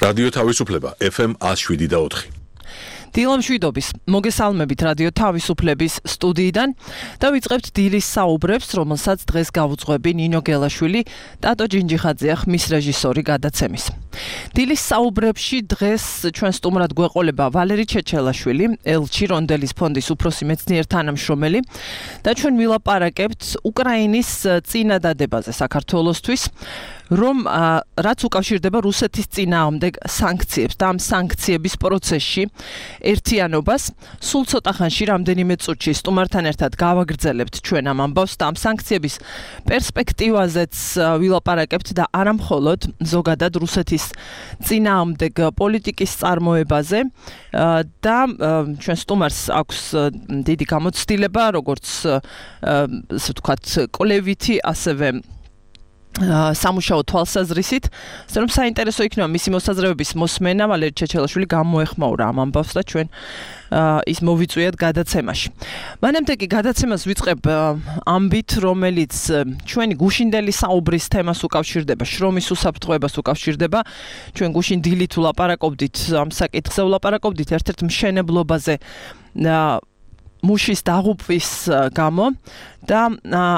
რადიო თავისუფლება FM 107.4. დილამ შვიდობის მოგესალმებით რადიო თავისუფლების სტუდიიდან და ვიწყებთ დილის საუბრებს, რომელსაც დღეს გავუძღვები ნინო გელაშვილი, ტატო ჯინჯიხაძე ხმის რეჟისორი გადაცემის. დილის საუბრებში დღეს ჩვენ სტუმრად გვეყოლება ვალერი ჩეჩელაშვილი, ელჩი რონდელის ფონდის უფროსი მეცნიერ თანამშრომელი და ჩვენ ვილაპარაკებთ უკრაინის წინადადებაზე საქართველოსთვის, რომ რაც უკავშირდება რუსეთის წინააღმდეგ სანქციებს და ამ სანქციების პროცესში ერთიანობას სულ ცოტა ხანში რამდენიმე წუთში სტუმართან ერთად გავაგრძელებთ ჩვენ ამ ამბავს და ამ სანქციების პერსპექტივაზეც ვილაპარაკებთ და არა მხოლოდ ზოგადად რუსეთის წინააღმდეგ პოლიტიკის წარმოებაზე და ჩვენ სტუმარს აქვს დიდი გამოცდილება როგორც ასე ვთქვათ კოლევითი ასევე სამუშაო თვალსაზრისით, რომ საინტერესო იქნება მისი მოსაზრებების მოსმენა ვალერი ჩეჩელაშვილი გამოეხმაურა ამ ამბავს და ჩვენ ის მოვიწვიეთ გადაცემაში. მანამდე კი გადაცემას ვიწყებ ამბით, რომელიც ჩვენი გუშინდელი საუბრის თემას უკავშირდება, შრომის უსაფრთხოებას უკავშირდება. ჩვენ გუშინ დილით ვლაპარაკობდით ამ საკითხზე, ვლაპარაკობდით ერთ-ერთ მშენებლობაზე მუშის დაღუპვის გამო და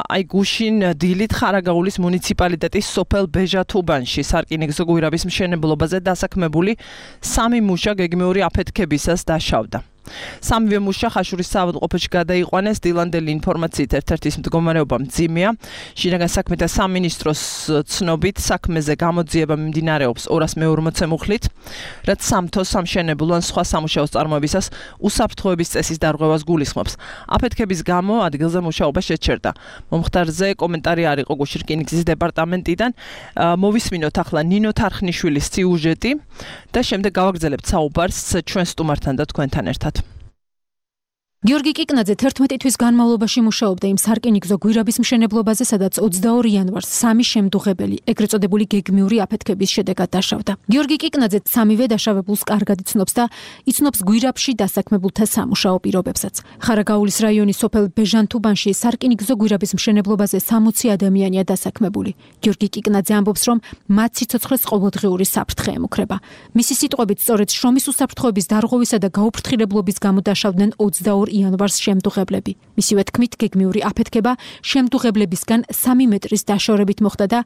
აი გუშინ დილით ხარაგაულის მუნიციპალიტეტის სოფელ ბეჟათუბანში სარკინიგზო გვირაბის მშენებლობაზე დასაქმებული 3 მუშა გეგმიური აფეთქებისას დაშავდა. სამივე მუშა ხაშურის საავადმყოფოში გადაიყვანეს. დილანდელი ინფორმაციით ერთ-ერთის მდგომარეობა მძიმეა. შინაგან საქმეთა სამინისტროს ცნობით საქმეზე გამოძიება მიმდინარეობს 240 მუხლით, რაც სამთო სამშენებლო ან სხვა სამუშაოს წარმოებისას უსაფრთხოების წესის დარღვევას გულისხმობს. აფეთქების გამო ადგილზე მუშაობა შეჩერდა. მომხდარზე კომენტარი არ იყო გუშინ რკინიგზის დეპარტამენტიდან. მოვისმინოთ ახლა ნინო თარხნიშვილის სიუჟეტი და შემდეგ გავაგრძელებთ საუბარს ჩვენ სტუმართან და თქვენთან ერთად. გიორგი კიკნაძე 11 თვის განმავლობაში მუშაობდა იმ სარკინიგზო გვირაბის მშენებლობაზე, სადაც 22 იანვარს 3 შემდუღებელი, ეგრეთ წოდებული გეგმიური აფეთქების შედეგად დაშავდა. გიორგი კიკნაძე სამივე დაშავებულს კარგად იცნობს და იცნობს გვირაბში დასაქმებულთა სამუშაო პირობებსაც. ხარაგაულის რაიონის სოფელ ბეჟანთუბანში სარკინიგზო გვირაბის მშენებლობაზე 60 ადამიანია დასაქმებული. გიორგი კიკნაძე ამბობს, რომ მათ სიცოცხლეს ყოველდღიური საფრთხე ემუქრება. მისი სიტყვებით, სწორედ შრომის უსაფრთხოების დარღვევისა და გაუფრთხილებლობის გამო დაშავდნენ 22 იანვარს შემდუღებლები. მისივე თქმით, გეგმიური აფეთქება შემდუღებლებისგან 3 მეტრის დაშორებით მოხდა და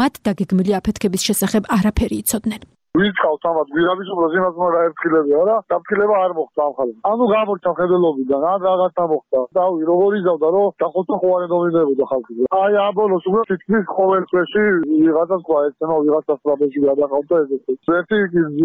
მათ დაგეგმილი აფეთქების შესახებ არაფერი იცოდნენ. ვიწყავთ ამათ გვირაბის უბრალოდ იმას რა ერთხილებია რა, დაფრთხილება არ მოხდა ამ ხალხს. ანუ გამორჩა ხედელობიდან, ან რაღაცა მოხდა. დავი როგორ იზავდა რომ დახოთოხوارე დომინებოდა ხალხი. აი ამ ბოლოს უბრალოდ თითქმის ყოველ წრეში ვიღაცას ყვა ეცემა ვიღაცას ტრაპეზში გადაყავდა ესეთი. ერთი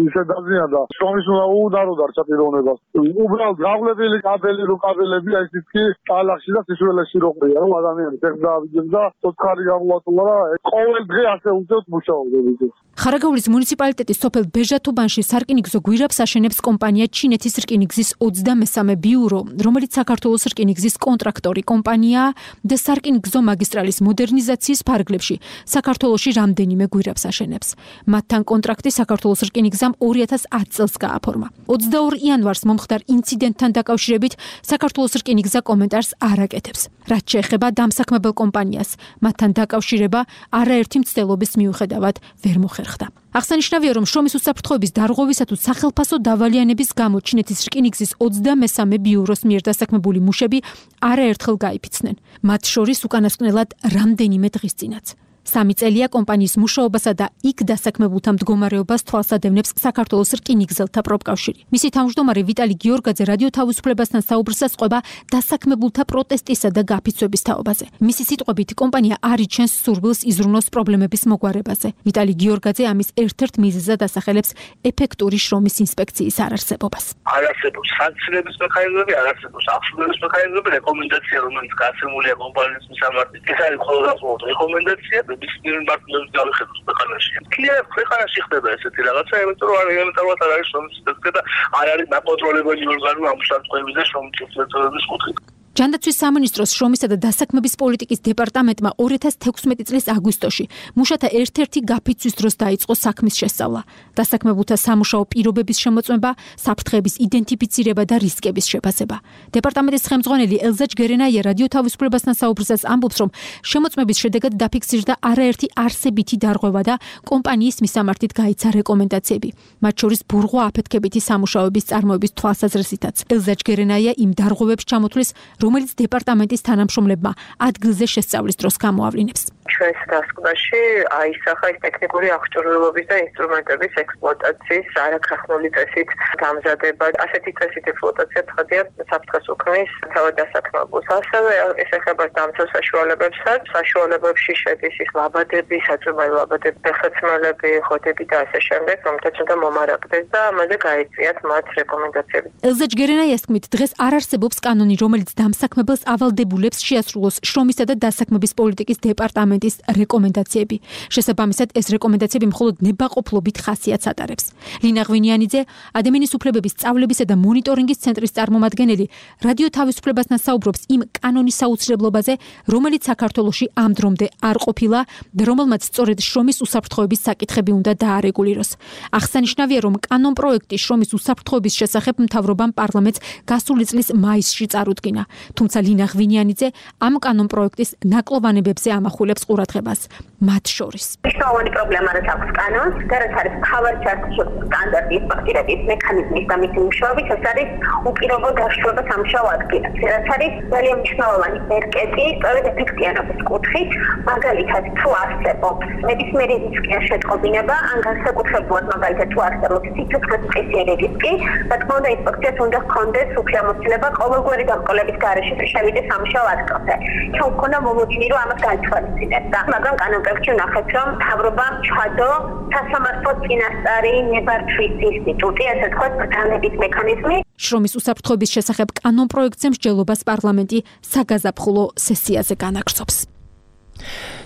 ისე დაზიანდა. შრომის უნდა რო დარჩა პიროვნებას. უბრალოდ გავლებული კაბელები აი თითქი ტალახში და სისულელეში რო ყრია რომ ადამიანი ფეხს დაავიდნენ და ცოცხალი გამოატულა და ყოველ დღე ასე უწევთ მუშაობდები. ხარაგაულის მუნიციპალიტეტის სოფელ ბეჟათუბანში სარკინიგზო გვირაბს აშენებს კომპანია ჩინეთის რკინიგზის 23 ბიურო, რომელიც საქართველოს რკინიგზის კონტრაქტორი კომპანიაა და სარკინიგზო მაგისტრალის მოდერნიზაციის ფარგლებში საქართველოში რამდენიმე გვირაბს აშენებს. მათთან კონტრაქტი საქართველოს რკინიგზამ 2010 წელს გააფორმა. 22 იანვარს მომხდარ ინციდენტთან დაკავშირებით საქართველოს რკინიგზა კომენტარს არ აკეთებს. რაც შეეხება დამსაქმებელ კომპანიას, მათთან დაკავშირება არაერთი მცდელობის მიუხედავად ვერ მოხერხდა. აღსანიშნავია, რომ შრომის უსაფრთხოების დარღვევისა თუ სახელფასო დავალიანების გამო ჩინეთის რკინიგზის 23 ბიუროს მიერ დასაქმებული მუშები არაერთხელ გაიფიცნენ. მათ შორის უკანასკნელად რამდენიმე დღის წინაც. 3 წელია კომპანიის მუშაობასა და იქ დასაქმებულთა მდგომარეობას თვალსადევნებს საქართველოს რკინიგზელთა პროფკავშირი. მისი თავმჯდომარე ვიტალი გიორგაძე რადიო თავისუფლებასთან საუბრისას ყვება დასაქმებულთა პროტესტისა და გაფიცვების თაობაზე. მისი სიტყვებით, კომპანია არ იჩენს სურვილს იზრუნოს პრობლემების მოგვარებაზე. ვიტალი გიორგაძე ამის ერთ-ერთ მიზეზად ასახელებს ეფექტური შრომის ინსპექციის არარსებობას. არ არსებობს სანქციების მექანიზმები, არ არსებობს აღსრულების მექანიზმები, რეკომენდაცია, რომელიც გასცემულია კომპანიის მისამართი. ეს არის მხოლოდ რეკომენდაცია. ბიზნეს პარტნიორებს გავიხედოთ ქვეყანაში. კლient ქვეყანაში ხდება ესეთი რაღაცა, იმიტომ რომ ელემენტარულად არ არის შრომის ინსპექცია და არ არის დაკონტროლებელი ორგანო ამ უსაფრთხოების და შრომის უსაფრთხოების კუთხით. ჯანდაცვის სამინისტროს შრომისა და დასაქმების პოლიტიკის დეპარტამენტმა 2016 წლის აგვისტოში მუშათა ერთ-ერთი გაფიცვის დროს დაიწყო საქმის შესწავლა. დასაქმებულთა სამუშაო პირობების შემოწმება, საფრთხეების იდენტიფიცირება და რისკების შეფასება. დეპარტამენტის ხელმძღვანელი ელზა ჯგერენაია რადიო თავისუფლებასთან საუბრისას ამბობს, რომ შემოწმების შედეგად დაფიქსირდა არაერთი არსებითი დარღვევა და კომპანიის მისამართით გაიცა რეკომენდაციები, მათ შორის ბურღვა აფეთქებითი სამუშაოების წარმოების თვალსაზრისითაც. ელზა ჯგერენაია იმ დარღვევებს ჩამოთვლის, რომელიც დეპარტამენტის თანამშრომლებმა ადგილზე შესწავლის დროს გამოავლინებს. ჩვენს დასკვნაში აისახა ის ტექნიკური აღჭურვილობის და ინსტრუმენტების ექსპლუატაციის არაქრახნული წესით დამზადება. ასეთი წესით ექსპლუატაცია ცხადია საფრთხეს უქმნის თავად დასაქმებულს. ასევე ეს ეხება დამცავ საშუალებებსაც. საშუალებებში შედის ის ლაბადები, საწვიმაი ლაბადები, ფეხსაცმელები, ხოდები და ასე შემდეგ, რომელთაც უნდა მომარაგდეს და ამაზე გაიწვიათ მათ რეკომენდაციები. ელზა ჯგერენაიას თქმით, დღეს არ არსებობს კანონი, რომელიც დამსაქმებელს ავალდებულებს შეასრულოს შრომისა და დასაქმების პოლიტიკის დეპარტამენტის რეკომენდაციები. შესაბამისად, ეს რეკომენდაციები მხოლოდ ნებაყოფლობით ხასიათს ატარებს. ლინა ღვინიანიძე, ადამიანის უფლებების სწავლებისა და მონიტორინგის ცენტრის წარმომადგენელი, რადიო თავისუფლებასთან საუბრობს იმ კანონის აუცილებლობაზე, რომელიც საქართველოში ამ დრომდე არ ყოფილა და რომელმაც სწორედ შრომის უსაფრთხოების საკითხები უნდა დაარეგულიროს. აღსანიშნავია, რომ კანონპროექტი შრომის უსაფრთხოების შესახებ მთავრობამ პარლამენტს გასული წლის მაისში წარუდგინა. თუმცა ლინა ღვინიანიძე ამ კანონპროექტის ნაკლოვანებებზე ამახვილებს ყურადღებას. მათ შორის მნიშვნელოვანი პრობლემა რაც აქვს კანონს და რაც არის მთავარი ჩართულობის სტანდარტის პაქტირების მექანიზმის და მისი მუშაობის, ეს არის უპირობო დაშლება სამუშაო ადგილას. რაც არის ძალიან მნიშვნელოვანი ერკეტი, სწორედ ეფექტიანობის კუთხით, მაგალითად თუ არსებობს ნებისმიერი რისკის შეტყობინება, ან განსაკუთრებულად მაგალითად თუ არსებობს სიცოცხლისმცირე რისკი, რა თქმა უნდა ინსპექციას უნდა ჰქონდეს უფლებამოსილება ყოველგვარი დამკოლების გარეშე შევიდეს სამუშაო ადგილზე. ჩვენ გვქონდა მომოწმი რომ ამას გაითვალისწინებდა. მაგრამ კანონპროექტში ვნახეთ, რომ მთავრობამ ჩადო სასამართლო წინასწარი ნებართვის ინსტიტუტი, ასე ვთქვათ, ბრძანების მექანიზმი. შრომის უსაფრთხოების შესახებ კანონპროექტზე მსჯელობას პარლამენტი საგაზაფხულო სესიაზე განაგრძობს.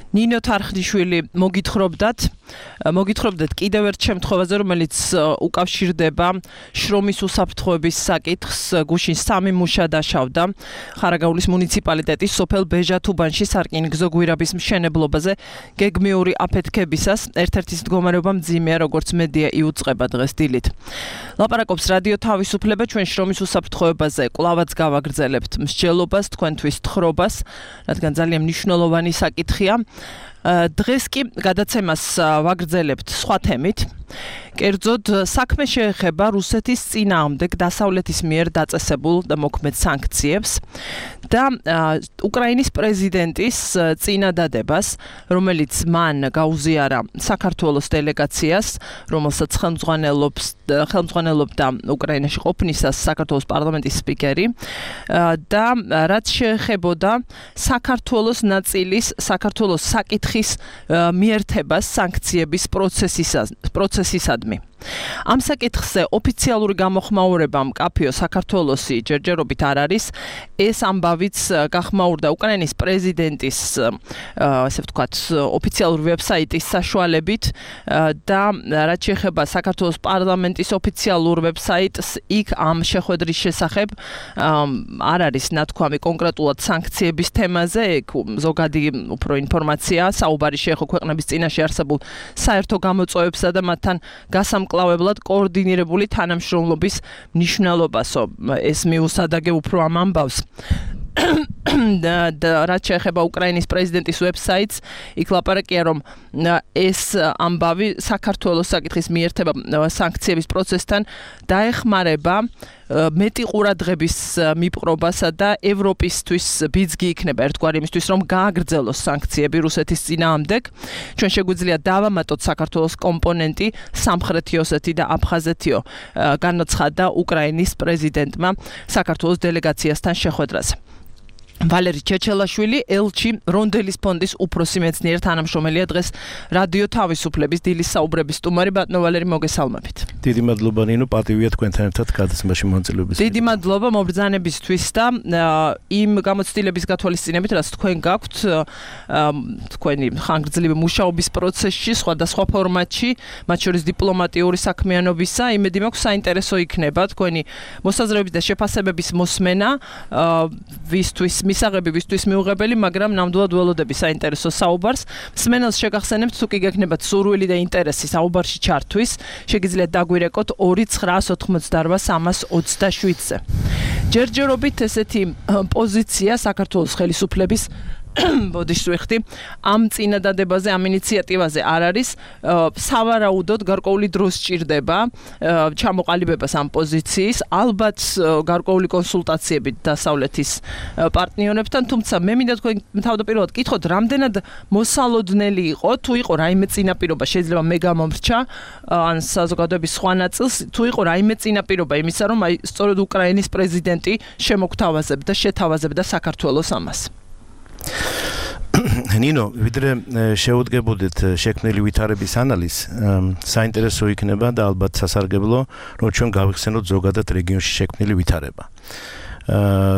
ნინო თარხნიშვილი მოგითხრობდათ კიდევ ერთ შემთხვევაზე, რომელიც უკავშირდება შრომის უსაფრთხოების საკითხს. გუშინ 3 მუშა დაშავდა ხარაგაულის მუნიციპალიტეტის სოფელ ბეჟათუბანში სარკინიგზო გვირაბის მშენებლობაზე გეგმიური აფეთქებისას. ერთ-ერთის მდგომარეობა მძიმეა, როგორც მედია იუწყება დღეს დილით. ლაპარაკობს რადიო თავისუფლება, ჩვენ შრომის უსაფრთხოებაზე კვლავაც გავაგრძელებთ მსჯელობას, თქვენთვის თხრობას, რადგან ძალიან მნიშვნელოვანი საკითხია. დღეს კი გადაცემას ვაგრძელებთ სხვა თემით. კერძოდ, საქმე შეეხება რუსეთის წინააღმდეგ დასავლეთის მიერ დაწესებულ და მოქმედ სანქციებს და უკრაინის პრეზიდენტის წინადადებას, რომელიც მან გაუზიარა საქართველოს დელეგაციას, რომელსაც ხელმძღვანელობდა უკრაინაში ყოფნისას საქართველოს პარლამენტის სპიკერი და რაც შეეხებოდა საქართველოს ნაწილის, საქართველოს საკითხის მიერთებას სანქციების პროცესისადმი. ამ საკითხზე ოფიციალური გამოხმაურება მკაფიო საქართველოსი ჯერჯერობით არ არის. ეს ამბავიც გახმაურდა უკრაინის პრეზიდენტის, ასე ვთქვათ, ოფიციალური ვებსაიტის საშუალებით და რაც შეეხება საქართველოს პარლამენტის ოფიციალურ ვებსაიტს, იქ ამ შეხვედრის შესახებ არ არის ნათქვამი კონკრეტულად სანქციების თემაზე, ზოგადი უფრო ინფორმაცია საუბარი შეეხო ქვეყნების წინაშე არსებულ საერთო გამოწვევებსა და მათთან გასამკლავებლად კოორდინირებული თანამშრომლობის მნიშვნელობასო. ეს მიუსადაგე უფრო ამ ამბავს. და რაც შეეხება უკრაინის პრეზიდენტის ვებსაიტს, იქ ლაპარაკია, რომ ეს ამბავი საქართველოს საკითხის მიერთება სანქციების პროცესთან დაეხმარება მეტი ყურადღების მიპყრობასა და ევროპისთვის ბიძგი იქნება ერთგვარი იმისთვის, რომ გააგრძელოს სანქციები რუსეთის წინააღმდეგ. ჩვენ შეგვიძლია დავამატოთ საქართველოს კომპონენტი სამხრეთი ოსეთი და აფხაზეთიო, განაცხადა უკრაინის პრეზიდენტმა საქართველოს დელეგაციასთან შეხვედრაზე. ვალერი ჩეჩელაშვილი ელჩი რონდელის ფონდის უფროსი მეცნიერ თანამშრომელია დღეს რადიო თავისუფლების დილის საუბრების სტუმარი ბატონო ვალერი მოგესალმებით. დიდი მადლობა ნინო პატივია თქვენთან ერთად გადაცემაში მონაწილეობის. დიდი მადლობა მობრძანებისთვის და იმ გამოცდილების გათვალისწინებით რაც თქვენ გაქვთ თქვენი ხანგრძლივი მუშაობის პროცესში სხვადასხვა ფორმატში მათ შორის დიპლომატიური საქმიანობისა იმედი მაქვს საინტერესო იქნება თქვენი მოსაზრებების და შეფასებების მოსმენა ვისთვის მისაღებებისთვის მიუღებელი, მაგრამ ნამდვილად ველოდები საინტერესო საუბარს. მსმენელს შეგახსენებთ, თუ კი გექნებათ სურვილი და ინტერესი საუბარში ჩართვის, შეგიძლიათ დაგვირეკოთ 2998327-ზე. ჯერჯერობით ესეთი პოზიცია საქართველოს ხელისუფლების ბოდიშს ვიხდი ამ წინადადებაზე, ამ ინიციატივაზე არ არის სავარაუდოდ გარკვეული დრო სჭირდება ჩამოყალიბებას ამ პოზიციის, ალბათ გარკვეული კონსულტაციებით დასავლეთის პარტნიორებთან, თუმცა მე მინდა თქვენ თავდაპირველად კითხოთ, რამდენად მოსალოდნელი იყო, თუ იყო რაიმე წინაპირობა, შეიძლება მე გამომრჩა ან საზოგადოების სხვა ნაწილს, თუ იყო რაიმე წინაპირობა იმისა, რომ აი სწორედ უკრაინის პრეზიდენტი შემოგთავაზებდა, შეთავაზებდა საქართველოს ამას. ნინო, ვიდრე შეუდგებოდეთ შექმნილი ვითარების ანალიზს, საინტერესო იქნება და ალბათ სასარგებლო, რომ ჩვენ გავიხსენოთ ზოგადად რეგიონში შექმნილი ვითარება.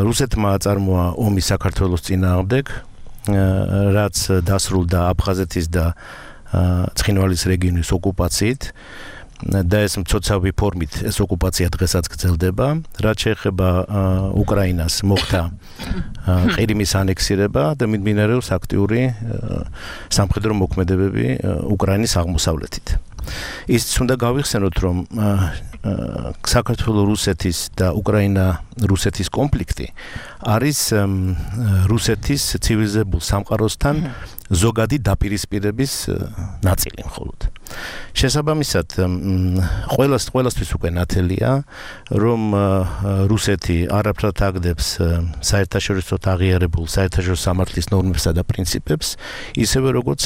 რუსეთმა აწარმოა ომი საქართველოს წინააღმდეგ, რაც დასრულდა აფხაზეთის და ცხინვალის რეგიონის ოკუპაციით. და ეს მცოცავი ფორმით ეს ოკუპაცია დღესაც გრძელდება, რაც შეეხება უკრაინას მოხდა ყირიმის ანექსირება და მიმდინარეობს აქტიური სამხედრო მოქმედებები უკრაინის აღმოსავლეთით. ისიც უნდა გავიხსენოთ, რომ საქართველოს რუსეთის და უკრაინა-რუსეთის კონფლიქტი არის რუსეთის ცივილიზებულ სამყაროსთან ზოგადი დაპირისპირების ნაწილი მხოლოდ. შესაბამისად, ყველასთვის უკვე ნათელია, რომ რუსეთი არაფრად აგდებს საერთაშორისოდ აღიარებულ საერთაშორისო სამართლის ნორმებსა და პრინციპებს, ისევე როგორც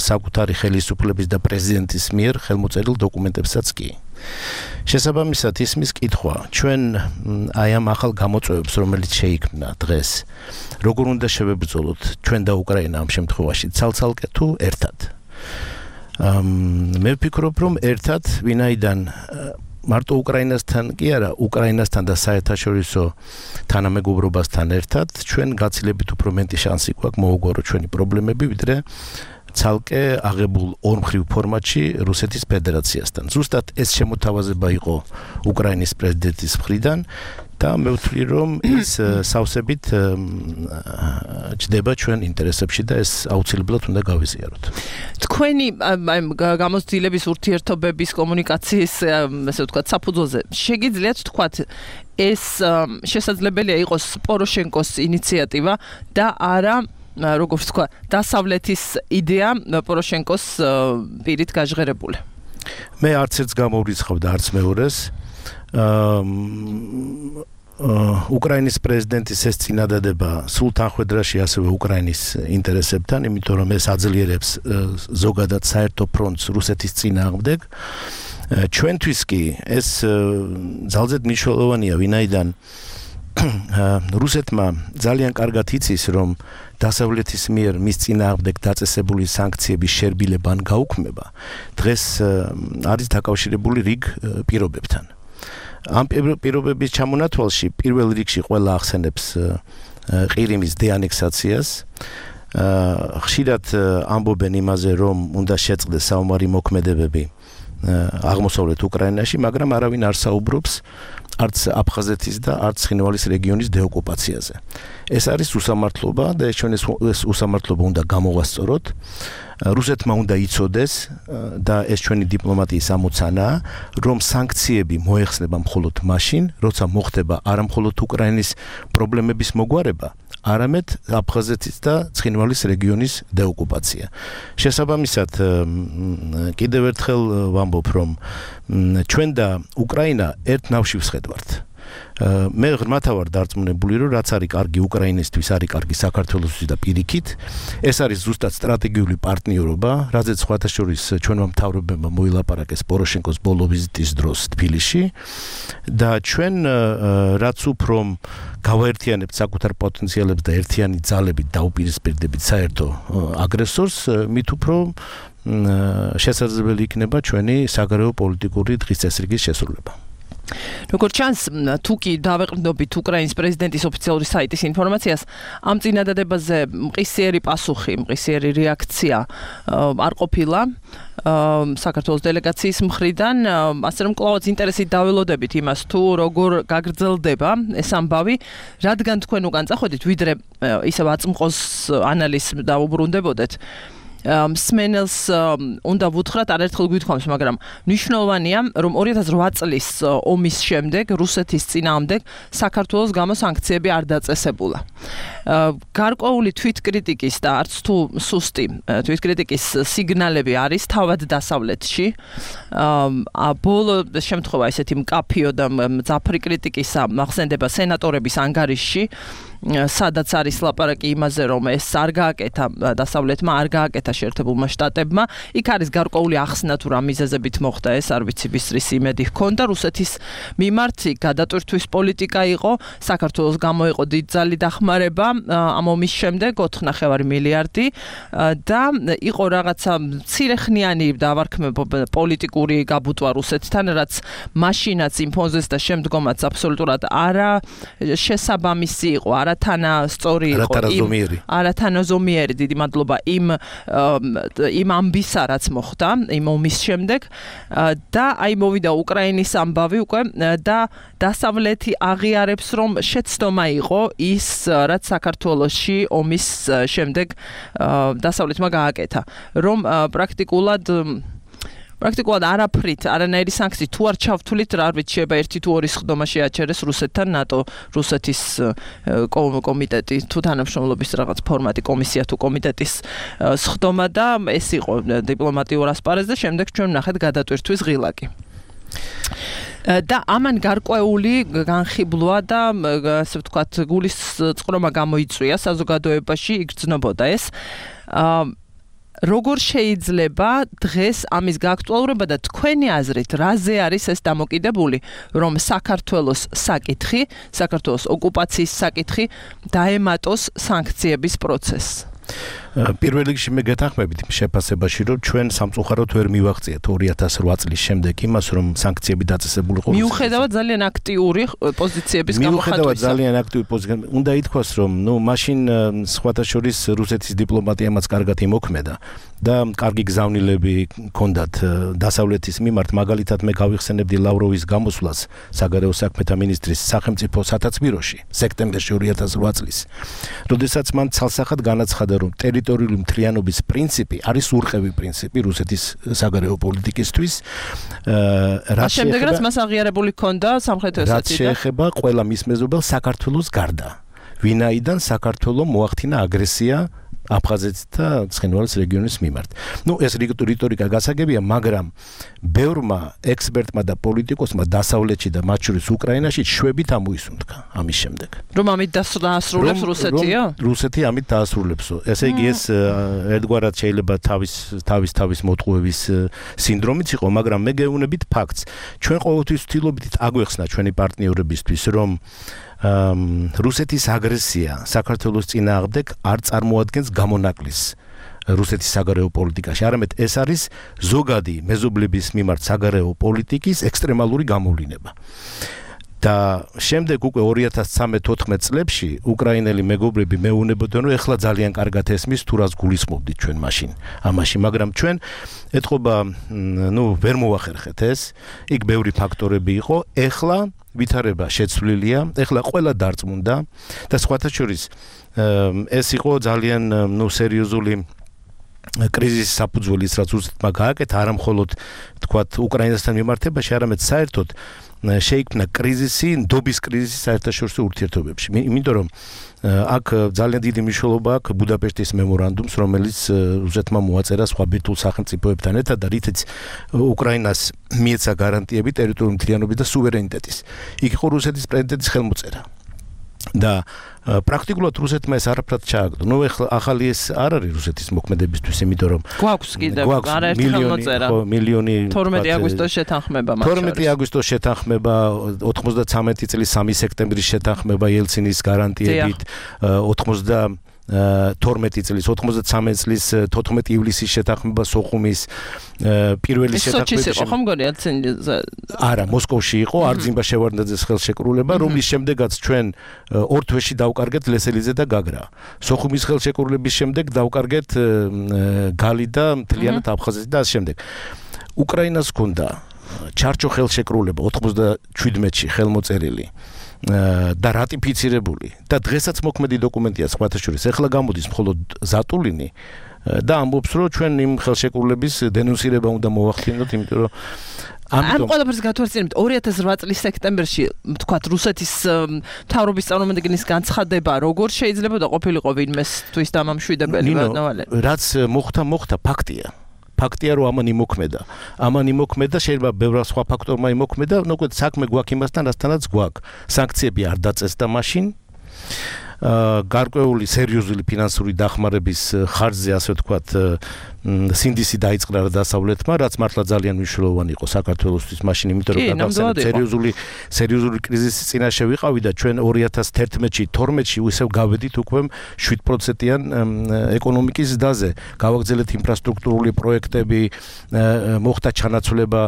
საკუთარი ხელისუფლების და პრეზიდენტის მიერ ხელმოწერილ დოკუმენტებსაც კი. შესაბამისად, ისმის კითხვა, ჩვენ აი ამ ახალ გამოწვევებს, რომელიც შეიქმნა დღეს, როგორ უნდა შევებრძოლოთ ჩვენ და უკრაინა ამ შემთხვევაში, ცალ-ცალკე თუ ერთად. მე ვფიქრობ, რომ ერთად, ვინაიდან მარტო უკრაინასთან კი არა, უკრაინასთან და საერთაშორისო თანამეგობრობასთან ერთად, ჩვენ გაცილებით უფრო მეტი შანსი გვაქვს მოუგვაროთ ჩვენი პრობლემები, ვიდრე ცალკე აღებულ ორმხრივ ფორმატში რუსეთის ფედერაციასთან. ზუსტად ეს შემოთავაზება იყო უკრაინის პრეზიდენტის მხრიდან და მე ვთვლი, რომ ის სავსებით ჯდება ჩვენ ინტერესებში და ეს აუცილებლად უნდა გავიზიაროთ. თქვენი გამოცდილების ურთიერთობების კომუნიკაციის, ასე ვთქვათ, საფუძველზე შეგიძლიათ თქვათ, ეს შესაძლებელია იყოს პოროშენკოს ინიციატივა და არა როგორც თქვა, დასავლეთის იდეა პოროშენკოს პირით გაჟღერებული. მე არც ერთს გამოვრიცხავ და არც მეორეს. უკრაინის პრეზიდენტის ეს წინადადება სულ თანხვედრაში ასევე უკრაინის ინტერესებთან, იმიტომ რომ ეს აძლიერებს ზოგადად საერთო ფრონტს რუსეთის წინააღმდეგ. ჩვენთვის კი ეს ძალზედ მნიშვნელოვანია, ვინაიდან რუსეთმა ძალიან კარგად იცის, რომ დასავლეთის მიერ მის წინააღმდეგ დაწესებული სანქციების შერბილება ან გაუქმება დღეს არის დაკავშირებული რიგ პირობებთან. ამ პირობების ჩამონათვალში პირველ რიგში ყველა ახსენებს ყირიმის დეანექსაციას. ხშირად ამბობენ იმაზე, რომ უნდა შეწყდეს საომარი მოქმედებები აღმოსავლეთ უკრაინაში, მაგრამ არავინ არ საუბრობს არც აფხაზეთის და არც ცხინვალის რეგიონის დეოკუპაციაზე. ეს არის უსამართლობა და ჩვენ ეს უსამართლობა უნდა გამოვასწოროთ. რუსეთმა უნდა იცოდეს და ეს ჩვენი დიპლომატიის ამოცანაა, რომ სანქციები მოეხსნება მხოლოდ მაშინ, როცა მოხდება არა მხოლოდ უკრაინის პრობლემების მოგვარება, არამედ აფხაზეთის და ცხინვალის რეგიონის დეოკუპაცია. შესაბამისად, კიდევ ერთხელ ვამბობ, რომ ჩვენ და უკრაინა ერთ ნავში ვსხედვართ. მე ღრმათა ვარ დარწმუნებული, რომ რაც არის კარგი უკრაინისთვის, არის კარგი საქართველოსთვის და პირიქით. ეს არის ზუსტად სტრატეგიული პარტნიორობა, რაზეც სხვათა შორის ჩვენმა მთავრობებმა მოილაპარაკეს პოროშენკოს ბოლო ვიზიტის დროს თბილისში და ჩვენ რაც უფრო გავაერთიანებთ საკუთარ პოტენციალებს და ერთიანი ძალებით დაუპირისპირდებით საერთო აგრესორს, მით უფრო შესაძლებელი იქნება ჩვენი საგარეო პოლიტიკური დღის წესრიგის შესრულება. როგორც ჩანს, თუ კი დავეყრდნობით უკრაინის პრეზიდენტის ოფიციალური საიტის ინფორმაციას, ამ წინადადებაზე მყისიერი პასუხი, მყისიერი რეაქცია არ ყოფილა საქართველოს დელეგაციის მხრიდან, ასე რომ კვლავაც ინტერესით დაველოდებით იმას, თუ როგორ გაგრძელდება ეს ამბავი, რადგან თქვენ უკან წახვედით, ვიდრე ისევ აწმყოს ანალიზს დაუბრუნდებოდეთ. მსმენელს უნდა ვუთხრათ, არაერთხელ გვითხოვს, მაგრამ მნიშვნელოვანია, რომ 2008 წლის ომის შემდეგ, რუსეთის წინააღმდეგ საქართველოს გამო სანქციები არ დაწესებულა. გარკვეული თვითკრიტიკის და არც თუ სუსტი თვითკრიტიკის სიგნალები არის თავად დასავლეთში. ბოლო შემთხვევა ესეთი მკაფიო და მძაფრი კრიტიკისა მახსენდება სენატორების ანგარიშში, სადაც არის ლაპარაკი იმაზე, რომ ეს არ გააკეთა დასავლეთმა, არ გააკეთა შეერთებულმა შტატებმა. იქ არის გარკვეული ახსნა თუ რა მიზეზებით მოხდა ეს, არ ვიცი, ბისტრის იმედი ჰქონდა რუსეთის მიმართ, გადატვირთვის პოლიტიკა იყო, საქართველოს გამოიყო დიდძალი დახმარება ამ ომის შემდეგ 4.5 მილიარდი და იყო რაღაცა მცირეხნიანი დავარქმება პოლიტიკური გაბუტვა რუსეთთან, რაც მაშინაც იმ ფონზეც და შემდგომაც აბსოლუტურად არა შესაბამისი იყო, არათანასწორი იყო, არათანაზომიერი, დიდი მადლობა იმ ამბისა, რაც მოხდა იმ ომის შემდეგ და აი მოვიდა უკრაინის ამბავი უკვე და დასავლეთი აღიარებს, რომ შეცდომა იყო ის, რაც საქართველოში ომის შემდეგ დასავლეთმა გააკეთა, რომ პრაქტიკულად არაფრით, არანაირი სანქცია თუ არ ჩავთვლით, რა ვიცი, შეიძლება 1 თუ 2 სხდომა შეაჩერეს რუსეთთან ნატო, რუსეთის კომიტეტი თუ თანამშრომლობის რაღაც ფორმატი, კომისია თუ კომიტეტის სხდომა და ეს იყო დიპლომატიურ ასპარეზზე, შემდეგ ჩვენ ვნახეთ გადატვირთვის ღილაკი. და ამან გარკვეული განხიბლვა და ასე ვთქვათ, გულის წყრომა გამოიწვია საზოგადოებაში, იგრძნობოდა ეს. როგორ შეიძლება დღეს ამის გააქტუალურება და თქვენი აზრით, რაზე არის ეს დამოკიდებული, რომ საქართველოს საკითხი, საქართველოს ოკუპაციის საკითხი დაემატოს სანქციების პროცესს? პირველ რიგში მე გეთანხმებით შეფასებაში, რომ ჩვენ სამწუხაროდ ვერ მივაღწიეთ 2008 წლის შემდეგ იმას, რომ სანქციები დაწესებული ყოფილიყო. მიუხედავად ძალიან აქტიური პოზიციების გამოხატვისა. მიუხედავად ძალიან აქტიური პოზიციების, უნდა ითქვას, რომ მაშინ სხვათა შორის რუსეთის დიპლომატიამაც კარგად იმოქმედა და კარგი გზავნილები ჰქონდათ დასავლეთის მიმართ, მაგალითად მე გავიხსენებდი ლავროვის გამოსვლას საგარეო საქმეთა მინისტრის სახელმწიფო სათათბიროში სექტემბერში 2008 წლის. როდესაც მან ცალსახად განაცხადა, რომ ტერიტორიული მთლიანობის პრინციპი არის ურყევი პრინციპი რუსეთის საგარეო პოლიტიკისთვის. რაც შემდეგაც მას აღიარებული ჰქონდა სამხრეთ ოსეთია. რაც შეეხება ყველა მის მეზობელს საქართველოს გარდა. ვინაიდან საქართველოს მოახდინა აგრესია აფხაზეთის და ცხინვალის რეგიონის მიმართ. ეს რიტორიკა გასაგებია, მაგრამ ბევრმა ექსპერტმა და პოლიტიკოსმა დასავლეთში და მათ შორის უკრაინაში შვებით ამოისუნთქა ამის შემდეგ. რომ ამით დაასრულებს რუსეთია? რუსეთი ამით დაასრულებსო. ესე იგი ეს ერთგვარად შეიძლება თავის მოტყუების სინდრომიც იყო, მაგრამ მე გეუბნებით ფაქტს. ჩვენ ყოველთვის ვთილობთ აგვეხსნა ჩვენი პარტნიორებისთვის, რომ რუსეთის აგრესია საქართველოს წინააღმდეგ არ წარმოადგენს გამონაკლისს რუსეთის საგარეო პოლიტიკაში, არამედ ეს არის ზოგადი მეზობლების მიმართ საგარეო პოლიტიკის ექსტრემალური გამოვლინება. და შემდეგ უკვე 2013-14 წლებში უკრაინელი მეგობრები მეუბნებოდნენ, რომ ეხლა ძალიან კარგად ესმის თუ რას გულისხმობდით ჩვენ მაშინ ამაში, მაგრამ ჩვენ ეთყობა ვერ მოვახერხეთ ეს, იქ ბევრი ფაქტორები იყო, ეხლა ვითარება შეცვლილია, ეხლა ყველა დარწმუნდა და სხვათა შორის ეს იყო ძალიან სერიოზული კრიზისის საფუძველი ის რაც რუსეთმა გააკეთა არა მხოლოდ თქვათ უკრაინასთან მიმართებაში, არამედ საერთოდ შეიქმნა კრიზისი, ნდობის კრიზისი საერთაშორისო ურთიერთობებში. იმიტომ რომ აქ ძალიან დიდი მნიშვნელობა აქვს ბუდაპეშტის მემორანდუმს, რომელიც რუსეთმა მოაწერა სხვა ბირთვულ სახელმწიფოებთან ერთად და რითიც უკრაინას მიეცა გარანტიები ტერიტორიული მთლიანობის და სუვერენიტეტის. იქ იყო რუსეთის პრეზიდენტის ხელმოწერა. და პრაქტიკულად რუსეთმა ეს არაფრად ჩააგდო. ნუ ახალი ეს არ არის რუსეთის მოქმედებისთვის, იმიტომ რომ გვაქვს კიდევ არაერთი ხელმოწერა. მილიონი 12 აგვისტოს შეთანხმება მათ შორის. 12 აგვისტოს შეთანხმება, 93 წლის 3 სექტემბრის შეთანხმება ელცინის გარანტიებით, 12 წლის 93 წლის 14 ივლისის შეთანხმება სოხუმის პირველი შეთანხმება. სოჩის იყო ხომ გონი ელცინის? არა, მოსკოვში იყო არძიმბა შევარდნაძის ხელშეკრულება, რომლის შემდეგაც ჩვენ ორ თვეში დავკარგეთ ლესელიძე და გაგრა. სოხუმის ხელშეკრულების შემდეგ დავკარგეთ გალი და მთლიანად აფხაზეთი და ამ შემდეგ. უკრაინას ჰქონდა ჩარჩო ხელშეკრულება 97-ში ხელმოწერილი და რატიფიცირებული და დღესაც მოქმედი დოკუმენტია სხვათა შორის. ეხლა გამოდის მხოლოდ ზატულინი და ამბობს რომ ჩვენ იმ ხელშეკრულების დენონსირება უნდა მოვახდინოთ, იმიტომ რომ ამ ყველაფერს გათვალისწინებთ 2008 წლის სექტემბერში თქვათ რუსეთის მთავრობის წარმომადგენლის განცხადება როგორ შეიძლება და ყოფილიყო ვინმესთვის დამამშვიდებელი ვარნავალე? რაც მოხდა ფაქტია. ფაქტია რომ ამან იმოქმედა, შეიძლება ბევრ სხვა ფაქტორმა იმოქმედა, ნუ საქმე გვაქვს იმასთან, რასთანაც გვაქვს. სანქციები არ დაწესდა მაშინ. გარკვეული სერიოზული ფინანსური დახმარების ხარჯზე, ასე ვთქვათ, სინდისი დაიწყნა დასავლეთმა, რაც მართლა ძალიან მნიშვნელოვანი იყო საქართველოსთვის მაშინ, იმიტომ რომ გადავსწრებთ სერიოზული კრიზისის წინაშე ვიყავი და ჩვენ 2011-ში, 12-ში ისევ გავედით უკვე 7%-იან ეკონომიკის ზრდაზე. გავაგრძელეთ ინფრასტრუქტურული პროექტები, მოხდა ჩანაცვლება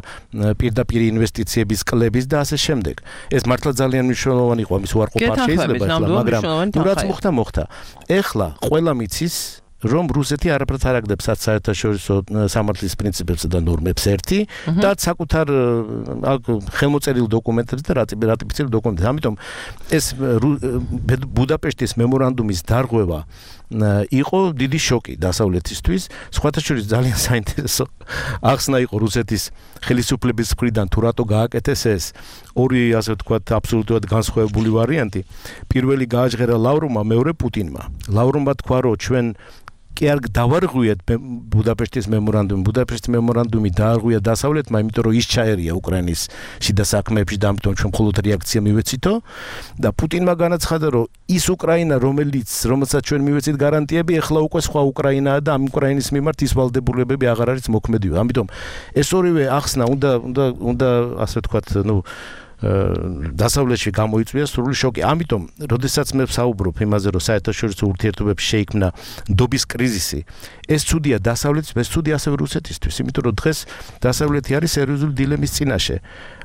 პირდაპირ ინვესტიციების კლების და ასე შემდეგ. ეს მართლა ძალიან მნიშვნელოვანი იყო, ამის უარყოფა არ შეიძლება ახლა, მაგრამ რაც მოხდა. ეხლა ყველა მიცის რომ რუსეთი არაფრად არ აგდებს საერთაშორისო სამართლის პრინციპებსა და ნორმებს ერთი და საკუთარ ხელმოწერილ დოკუმენტებს და რატიფიცირებულ დოკუმენტებს. ამიტომ ეს ბუდაპეშტის მემორანდუმის დარღვევა იყო დიდი შოკი დასავლეთისთვის. სხვათა შორის ძალიან საინტერესო ახსნა იყო რუსეთის ხელისუფლების მხრიდან თუ რატო გააკეთეს ეს ორი, ასე ვთქვათ, აბსოლუტურად განსხვავებული ვარიანტი. პირველი გააჟღერა ლავროვმა, მეორე პუტინმა. ლავროვმა თქვა, რომ ჩვენ კი არ დავარღვიეთ ბუდაპეშტის მემორანდუმი. ბუდაპეშტის მემორანდუმი დაარღვია დასავლეთმა, იმიტომ რომ ის ჩაერია უკრაინის შიდა საქმეებში და ამიტომ ჩვენ მხოლოდ რეაქცია მივეცითო და პუტინმა განაცხადა, რომ ის უკრაინა, რომელსაც ჩვენ მივეცით გარანტიები, ეხლა უკვე სხვა უკრაინაა და ამ უკრაინის მიმართ ის ვალდებულებები აღარ არის მოქმედი. ამიტომ ეს ორივე ახსნა უნდა ასე ვთქვათ, დასავლეთში გამოიწვია სრული შოკი. ამიტომ, როდესაც მე ვსაუბრობ იმაზე, რომ საერთაშორისო ურთიერთობებში შეიქმნა ნდობის კრიზისი, ეს ცუდია დასავლეთისთვის, ეს ცუდია ასევე რუსეთისთვის, იმიტომ რომ დღეს დასავლეთი არის სერიოზული დილემის წინაშე.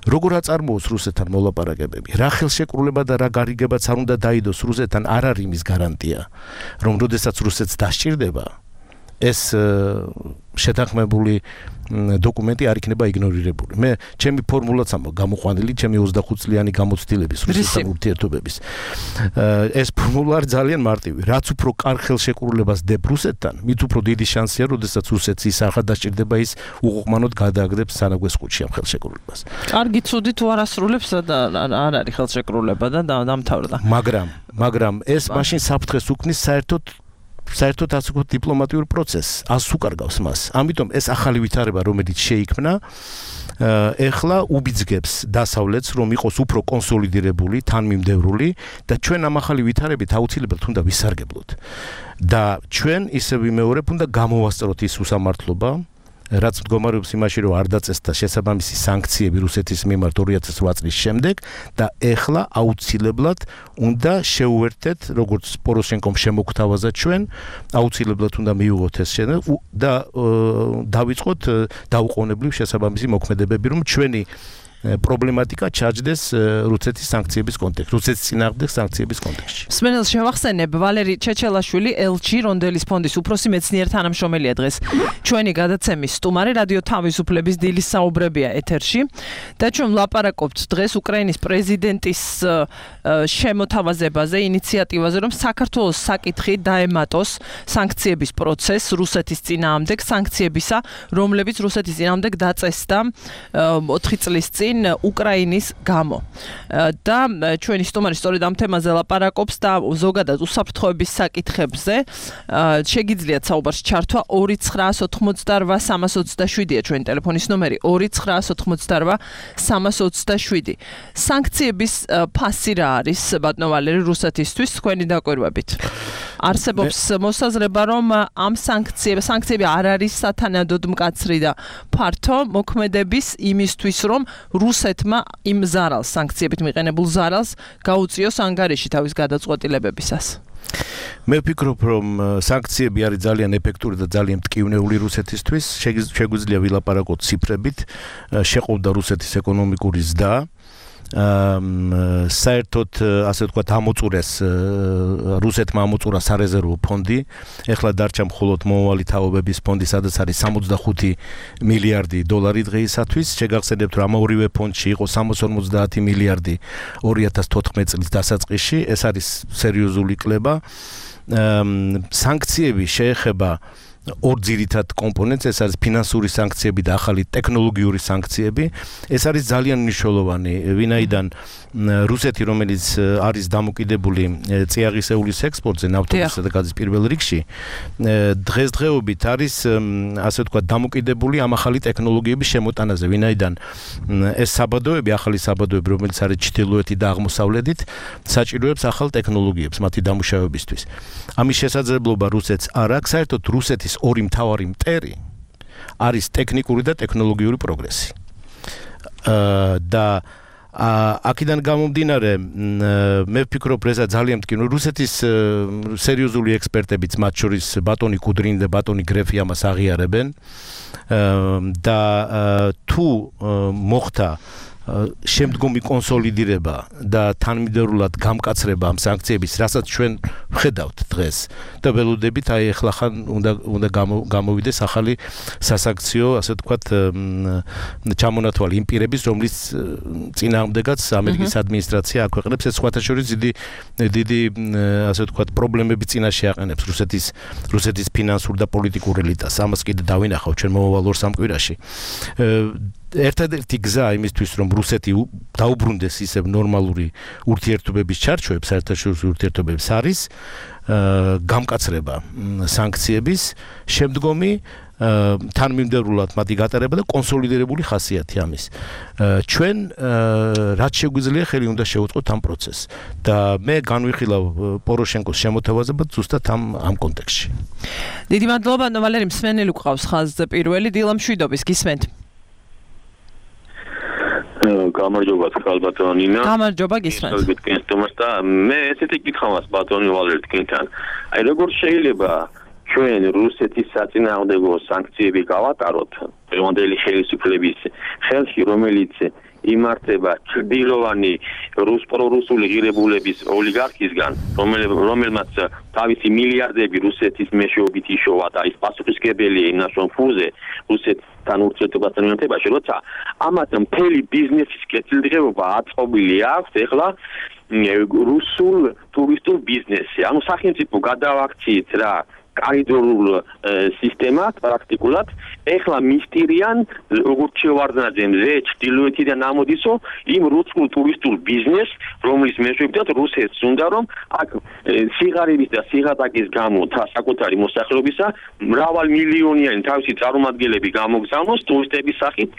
როგორ აწარმოოს რუსეთთან მოლაპარაკებები? რა ხელშეკრულება და რა გარიგებაც არ უნდა დაიდოს რუსეთთან, არ არის იმის გარანტია, რომ როდესაც რუსეთს დასჭირდება, ეს შეთანხმებული დოკუმენტი არ იქნება იგნორირებული. მე ჩემი ფორმულაც ამბობ გამოყვანილი, ჩემი 25 წლიანი გამოცდილების რუსეთთან ურთიერთობების. ეს ფორმულა ძალიან მარტივი. რაც უფრო კარგ ხელშეკრულებას დებ რუსეთთან, მით უფრო დიდი შანსია, როდესაც რუსეთს ის არ გადაჭირდება, ის უყუყმანოდ გადააგდებს სანაგვეს ყუთში ამ ხელშეკრულებას. კარგი, ცუდი თუ არ ასრულებს და არ არის ხელშეკრულება და დამთავრდა. მაგრამ ეს მაშინ საფრთხეს უქმნის საერთოდ ასე ვთქვათ დიპლომატიურ პროცესს, ასუკარგავს მას. ამიტომ ეს ახალი ვითარება, რომელიც შეიქმნა, ეხლა უბიძგებს დასავლეთს, რომ იყოს უფრო კონსოლიდირებული, თანმიმდევრული და ჩვენ ამ ახალი ვითარებით აუცილებლად უნდა ვისარგებლოთ. და ჩვენ ისე ვიმეორებ, უნდა გამოვასწროთ ის უსამართლობა, რაც მდგომარეობს იმაში, რომ არ დაწესდა შესაბამისი სანქციები რუსეთის მიმართ 2008 წლის შემდეგ და ეხლა აუცილებლად უნდა შეუერთდეთ, როგორც პოროშენკომ შემოგთავაზა ჩვენ, აუცილებლად უნდა მივიღოთ ეს და დავიწყოთ დაუყოვნებლივ შესაბამისი მოქმედებები, რომ ჩვენი პრობლემატიკა ჩაჯდეს რუსეთის სანქციების კონტექსტში, რუსეთის წინააღმდეგ სანქციების კონტექსტში. სმენელს შევახსენებ, ვალერი ჩეჩელაშვილი, ელჩი რონდელის ფონდის უფროსი მეცნიერ თანამშრომელია დღეს. ჩვენი გადაცემის სტუმარი რადიო თავისუფლების დილის საუბრებია ეთერში და ჩვენ ვლაპარაკობთ დღეს უკრაინის პრეზიდენტის შემოთავაზებაზე, ინიციატივაზე, რომ საქართველოს საკითხი დაემატოს სანქციების პროცესს რუსეთის წინააღმდეგ, სანქციებისა, რომლებიც რუსეთის წინააღმდეგ დაწესდა 4 წლის წინ უკრაინის გამო. და ჩვენი სტუმარი სწორედ ამ თემაზე ლაპარაკობს და ზოგადად უსაფრთხოების საკითხებზე შეგიძლიათ საუბარს ჩართვა 2988327-ია ჩვენი ტელეფონის ნომერი 2988327. სანქციების ფასი რა არის ბატონო ვალერი რუსეთისთვის თქვენი დაკვირვებით? არსებობს მოსაზრება, რომ ამ სანქციები არ არის სათანადოდ მკაცრი და ფართო მოქმედების იმისთვის, რომ რუსეთმა იმ ზარალს, სანქციებით მიყენებულ ზარალს გაუწიოს ანგარიში თავის გადაწყვეტილებებისას. მე ვფიქრობ, რომ სანქციები არის ძალიან ეფექტური და ძალიან მტკივნეული რუსეთისთვის. შეგვიძლია ვილაპარაკოთ ციფრებით, შეყოვდა რუსეთის ეკონომიკური ზრდა. საერთოდ ასე ვთქვათ ამოწურეს რუსეთმა ამოწურა სარეზერვო ფონდი. ეხლა დარჩა მხოლოდ მომავალი თაობების ფონდი, სადაც არის 65 მილიარდი დოლარი დღეისათვის. შეგახსენებთ, რომ ამ ორივე ფონდში იყო 350 მილიარდი 2014 წლის დასაწყისში. ეს არის სერიოზული კლება. სანქციები შეეხება ორ ძირითად კომპონენტს, ეს არის ფინანსური სანქციები და ახალი ტექნოლოგიური სანქციები. ეს არის ძალიან მნიშვნელოვანი, ვინაიდან რუსეთი, რომელიც არის დამოკიდებული წიაღისეულის ექსპორტზე, ნავთობისა და გაზის პირველ რიგში, დღესდღეობით არის ასე ვთქვათ დამოკიდებული ამ ახალი ტექნოლოგიების შემოტანაზე, ვინაიდან ეს საბადოები, ახალი საბადოები, რომელიც არის ჩრდილოეთი და აღმოსავლეთით, საჭიროებს ახალ ტექნოლოგიებს მათი დამუშავებისთვის. ამის შესაძლებლობა რუსეთს არ აქვს, საერთოდ რუსეთის ორი მთავარი მტერი არის ტექნიკური და ტექნოლოგიური პროგრესი. და აქედან გამომდინარე, მე ვფიქრობ, რომ ეს ძალიან მტკივნეულია. რუსეთის სერიოზული ექსპერტებიც, მათ შორის ბატონი კუდრინი და ბატონი გრეფი ამას აღიარებენ. და თუ მოხდა შემდგომი კონსოლიდირება და თანმიმდევრულად გამკაცრება ამ სანქციების, რასაც ჩვენ ვხედავთ დღეს და ველოდებით, აი ახლა ხან უნდა გამოვიდეს ახალი სასანქციო, ასე ვთქვათ, ჩამონათვალი იმ პირების, რომლის წინააღმდეგაც ამერიკის ადმინისტრაცია აქვეყნებს, ეს სხვათა შორის დიდი ასე ვთქვათ პრობლემები წინაშე აყენებს რუსეთის ფინანსურ და პოლიტიკურ ელიტას. ამას კიდე დავინახავ ჩვენ მომავალ 2 სამკვირაში. ერთადერთი გზა იმისთვის, რომ რუსეთი დაუბრუნდეს ისევ ნორმალური ურთიერთობების ჩარჩოებს, საერთაშორისო ურთიერთობებს, არის გამკაცრება სანქციების, შემდგომი თანმიმდევრულად მათი გატარება და კონსოლიდირებული ხასიათი ამის. ჩვენ რაც შეგვიძლია ხელი უნდა შევუწყოთ ამ პროცესს და მე განვიხილავ პოროშენკოს შემოთავაზებად ზუსტად ამ კონტექსტში. დიდი მადლობა, ვალერი მსმენელი გვყავს ხაზზე პირველი, დილა მშვიდობის, გისმენთ. გამარჯობა ბატონო ნინა. გამარჯობა, გისმენთ. და მე ესეთი კითხვა მაქვს ბატონი ვალერი თქვენთან. აი როგორ შეიძლება ჩვენ რუსეთის საწინააღმდეგო სანქციები გავატაროთ დღევანდელი ხელისუფლების ხელში, რომელიც იმართება ჩრდილოვანი პრორუსული ღირებულების ოლიგარქისგან, რომელმაც თავისი მილიარდები რუსეთის მეშვეობით იშოვა და ის პასუხისმგებელია იმ ნაშრომფურზე რუსეთთან ურთიერთობასთან მიმართებაში, როცა ამათ მთელი ბიზნესის კეთილდღეობა აწყობილი აქვს ეხლა რუსულ ტურისტულ ბიზნესზე. ანუ სახელმწიფო გადავაქციეთ რა კორიდორულ სისტემად პრაქტიკულად ეხლა მისტირიან როგორც შევარდნაძე მზე ჩრდილოეთიდან ამოდისო იმ რუსულ ტურისტულ ბიზნესს, რომლის მეშვეობითაც რუსეთს უნდა რომ აქ სიღარიბის და სიღატაკის გამო საკუთარი მოსახლეობისა მრავალმილიონიანი თავისი წარმომადგენლები გამოგზავნოს ტურისტების სახით.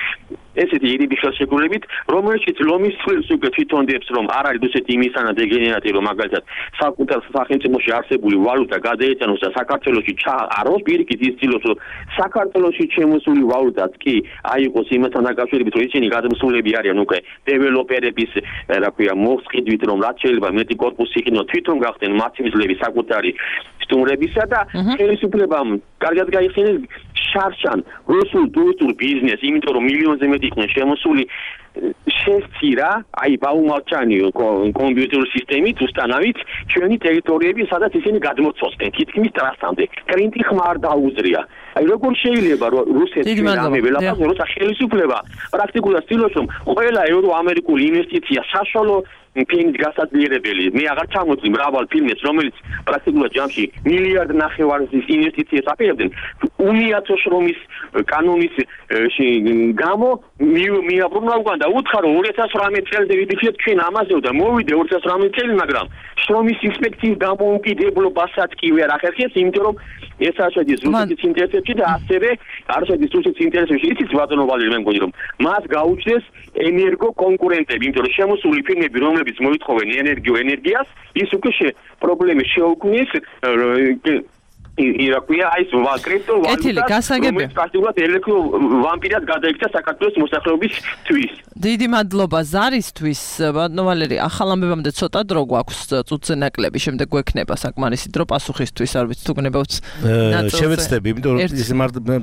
ესეთი ირიბი ხელშეკრულებით, რომელშიც ლომის წყვილს უკვე თვითონ დებს, რომ არ არის რუსეთი იმისანა დეგენერატი, რომ მაგალითად საკუთარ სახელმწიფოში არსებული ვალუტა გადაეწანოს და საქართველოში ჩააყაროს, პირიქით ისწავლოს, რომ საქართველოში შემოსული ვალუტაც კი აიყოს იმასთან დაკავშირებით, რომ ისინი გადმოსულები არიან უკვე დეველოპერების, რა ქვია, მოსყიდვით, რომ რაც შეიძლება მეტი კორპუსი იყინოს, თვითონ გახდნენ მასივიზლები საკუთარი სტუმრებისა და ხელისუფლებამ კარგად გაიხსენეს შარშან რუსულ ტურისტულ ბიზნესს, იმიტომ რომ მილიონზე მეტი იყვნენ შემოსული შესწირა, აი ბაუმალჩანი კომპიუტერული სისტემით უსტანავით ჩვენი ტერიტორიები, სადაც ისინი გადმოცვალდნენ თითქმის ტრასამდე. კლინტი ხმა არ დაუზრია. აი როგორ შეიძლება რომ რუსეთი რამე ველაფერზე როცა ხელისუფლება პრაქტიკულად ცდილობს რომ ყველა ევროამერიკული ინვესტიცია საშუალო ფილმის გასაძლიერებელი მე აღარ ჩამოწვი მრავალ ფილმს რომელიც პრაქტიკულად ჯამში მილიარდ ნახევარის ინვესტიციას აპირებდნენ უმიათო შრომის კანონის გამო მიაბრუნა უკან და უთხარო 2018 წელზე ვიდიქეთ ჩვენ ამაზე და მოვიდე 2018 წელი მაგრამ შრომის ინსპექციის დამოუკიდებლობასაც კი ვერ ახერხებს იმიტომ რომ ეს არ შედის რუსეთის ინტერესებში და ასევე არ შედის რუსეთის ინტერესებში იცით ბატონო ვალერი მე მგონი რომ მას გაუჩნდეს ენერგო კონკურენტები იმიტომ რომ შემოსული ფილმები რომლებიც მოითხოვენ ენერგიას ის უკვე პრობლემის შეუქმნის ირაკვია ის კრიპტო ვალუტა პრაქტიკულად ელექტრო ვამპირად გადაიქცა საქართველოს მოსახლეობისთვის. დიდი მადლობა ზარისთვის, ბატონო ვალერი, ახალ ამბებამდე ცოტა დრო გვაქვს წუთზე ნაკლები, შემდეგ გვექნება საკმარისი დრო პასუხისთვის, არ ვიცი თუ გნებავთ ნაწილზე. შევეცდები, იმიტომ რომ ის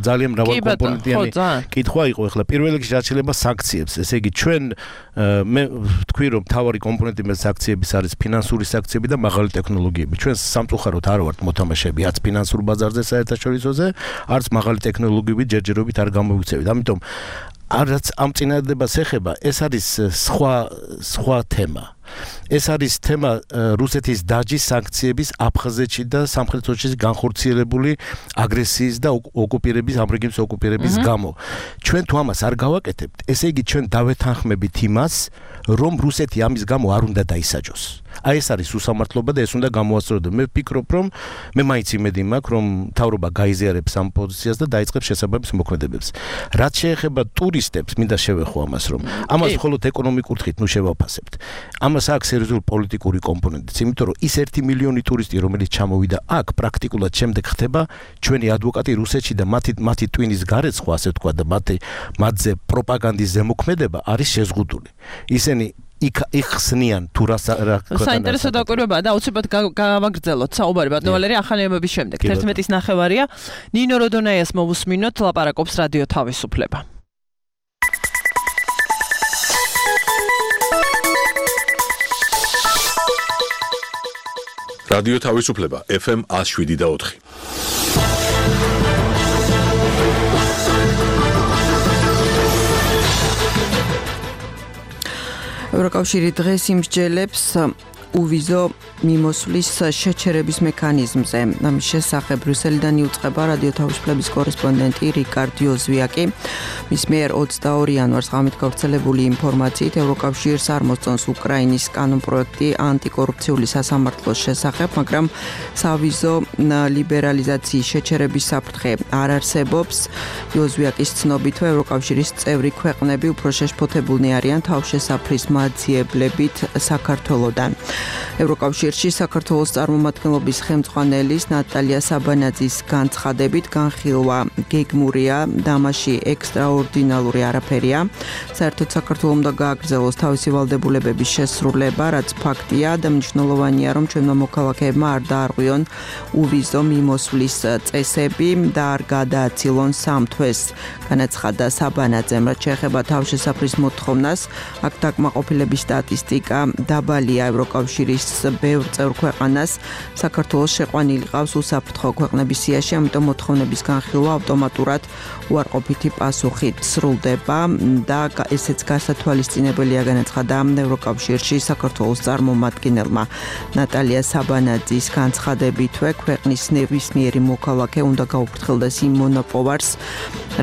ძალიან მრავალკომპონენტიანი კითხვა იყო, ახლა პირველ რიგში რაც შეიძლება სანქციებს, ესე იგი ჩვენ მე ვთქვი რომ მთავარი კომპონენტი მე სანქციების არის ფინანსური სანქციები და მაღალი ტექნოლოგიები. ჩვენ სამწუხაროდ არ ვართ მოთამაშეები, არც ფინანსურ ბაზარზე საერთაშორისოზე, არც მაღალი ტექნოლოგიებით ჯერჯერობით არ გამოგვიქცევით. ამიტომ რაც ამ წინადადებას ეხება, ეს არის სხვა თემა. ეს არის თემა რუსეთის დაჯის სანქციების აფხაზეთში და სამხრეთ ოსეთის განხორციელებული აგრესიის და ოკუპირების ამ რეგიონის ოკუპირების გამო. ჩვენ თუ ამას არ გავაკეთებთ, ესე იგი ჩვენ დავეთანხმებით იმას, რომ რუსეთი ამის გამო არ უნდა დაისაჯოს. აი ეს არის უსამართლობა და ეს უნდა გამოასწორდეს. მე ვფიქრობ, რომ მე მაინც იმედი მაქვს, რომ მთავრობა გაიზიარებს ამ პოზიციას და დაიწყებს შესაბამის მოქმედებებს. რაც შეეხება ტურისტებს, მინდა შევეხო ამას, რომ ამას მხოლოდ ეკონომიკურ თხით ნუ შევაფასებთ. ამას აქვს სერიოზული პოლიტიკური კომპონენტიც, იმიტომ რომ ის 1 მილიონი ტურისტი, რომელიც ჩამოვიდა აქ, პრაქტიკულად შემდეგ ხდება ჩვენი ადვოკატი რუსეთში და მათი ტვინის გარეცხვა, ასე ვთქვა და მათზე პროპაგანდის ზემოქმედება არის შეზღუდული. ისინი იხსნიან თუ რა საინტერესო დაკვირვებაა და აუცილებლად გავაგრძელოთ საუბარი ბატონო ვალერი ახალების შემდეგ 11:09 ნინო როდონაიას მოვუსმინოთ ლაპარაკობს რადიო თავისუფლება. რადიო თავისუფლება FM 107.4. ევროკავშირი დღეს იმსჯელებს უვიზო მიმოსვლის შეჩერების მექანიზმზე. ამის შესახებ ბრიუსელიდან იუწყება რადიო თავისუფლების კორესპონდენტი რიკარდ იოზვიაკი. მის მიერ 22 იანვარს ღამით გავრცელებული ინფორმაციით ევროკავშირს არ მოსწონს უკრაინის კანონპროექტი ანტიკორუფციული სასამართლოს შესახებ, მაგრამ სავიზო ლიბერალიზაციის შეჩერების საფრთხე არ არსებობს. იოზვიაკის ცნობით ევროკავშირის წევრი ქვეყნები უფრო შეშფოთებულნი არიან თავშესაფრის მაძიებლებით საქართველოდან. ევროკავშირში საქართველოს წარმომადგენლობის ხელმძღვანელის ნატალია საბანაძის განცხადებით განხილვა გეგმურია, დამაში ექსტრაორდინალური არაფერია. საერთოდ საქართველოს უნდა გააგრძელოს თავისი ვალდებულებების შესრულება, რაც ფაქტია და მნიშვნელოვანია, რომ ჩვენმა მოქალაქეებმა არ დაარღვიონ უვიზო მიმოსვლის წესები და არ გადააცილონ სამთვეს. განაცხადა საბანაძემ, რაც შეეხება თავშესაფრის მოთხოვნას, აქ დაკმაყოფილების სტატისტიკა დაბალია ევროკავშირის ბევრ წევრ ქვეყანას საქართველოს შეყვანილი ყავს უსაფრთხო ქვეყნების სიაში, ამიტომ მოთხოვნების განხილვა ავტომატურად უარყოფითი პასუხით სრულდება და ესეც გასათვალისწინებელია განაცხადა ევროკავშირში საქართველოს წარმომადგენელმა ნატალია საბანაძის განცხადებითვე ქვეყნის ნებისმიერი მოქალაქე უნდა გაუფრთხილდეს იმ მონოპოვარს,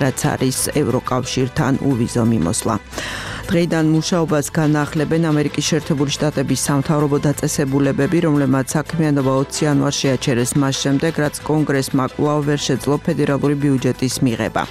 რაც არის ევროკავშირთან უვიზო მიმოსვლა. დღეიდან მუშაობას განახლებენ ამერიკის შეერთებული შტატების სამთავრობო დაწესებულებები, რომლებმაც საქმიანობა 20 იანვარს შეაჩერეს მას შემდეგ, რაც კონგრესმა კვლავ ვერ შეძლო ფედერალური ბიუჯეტის მიღება.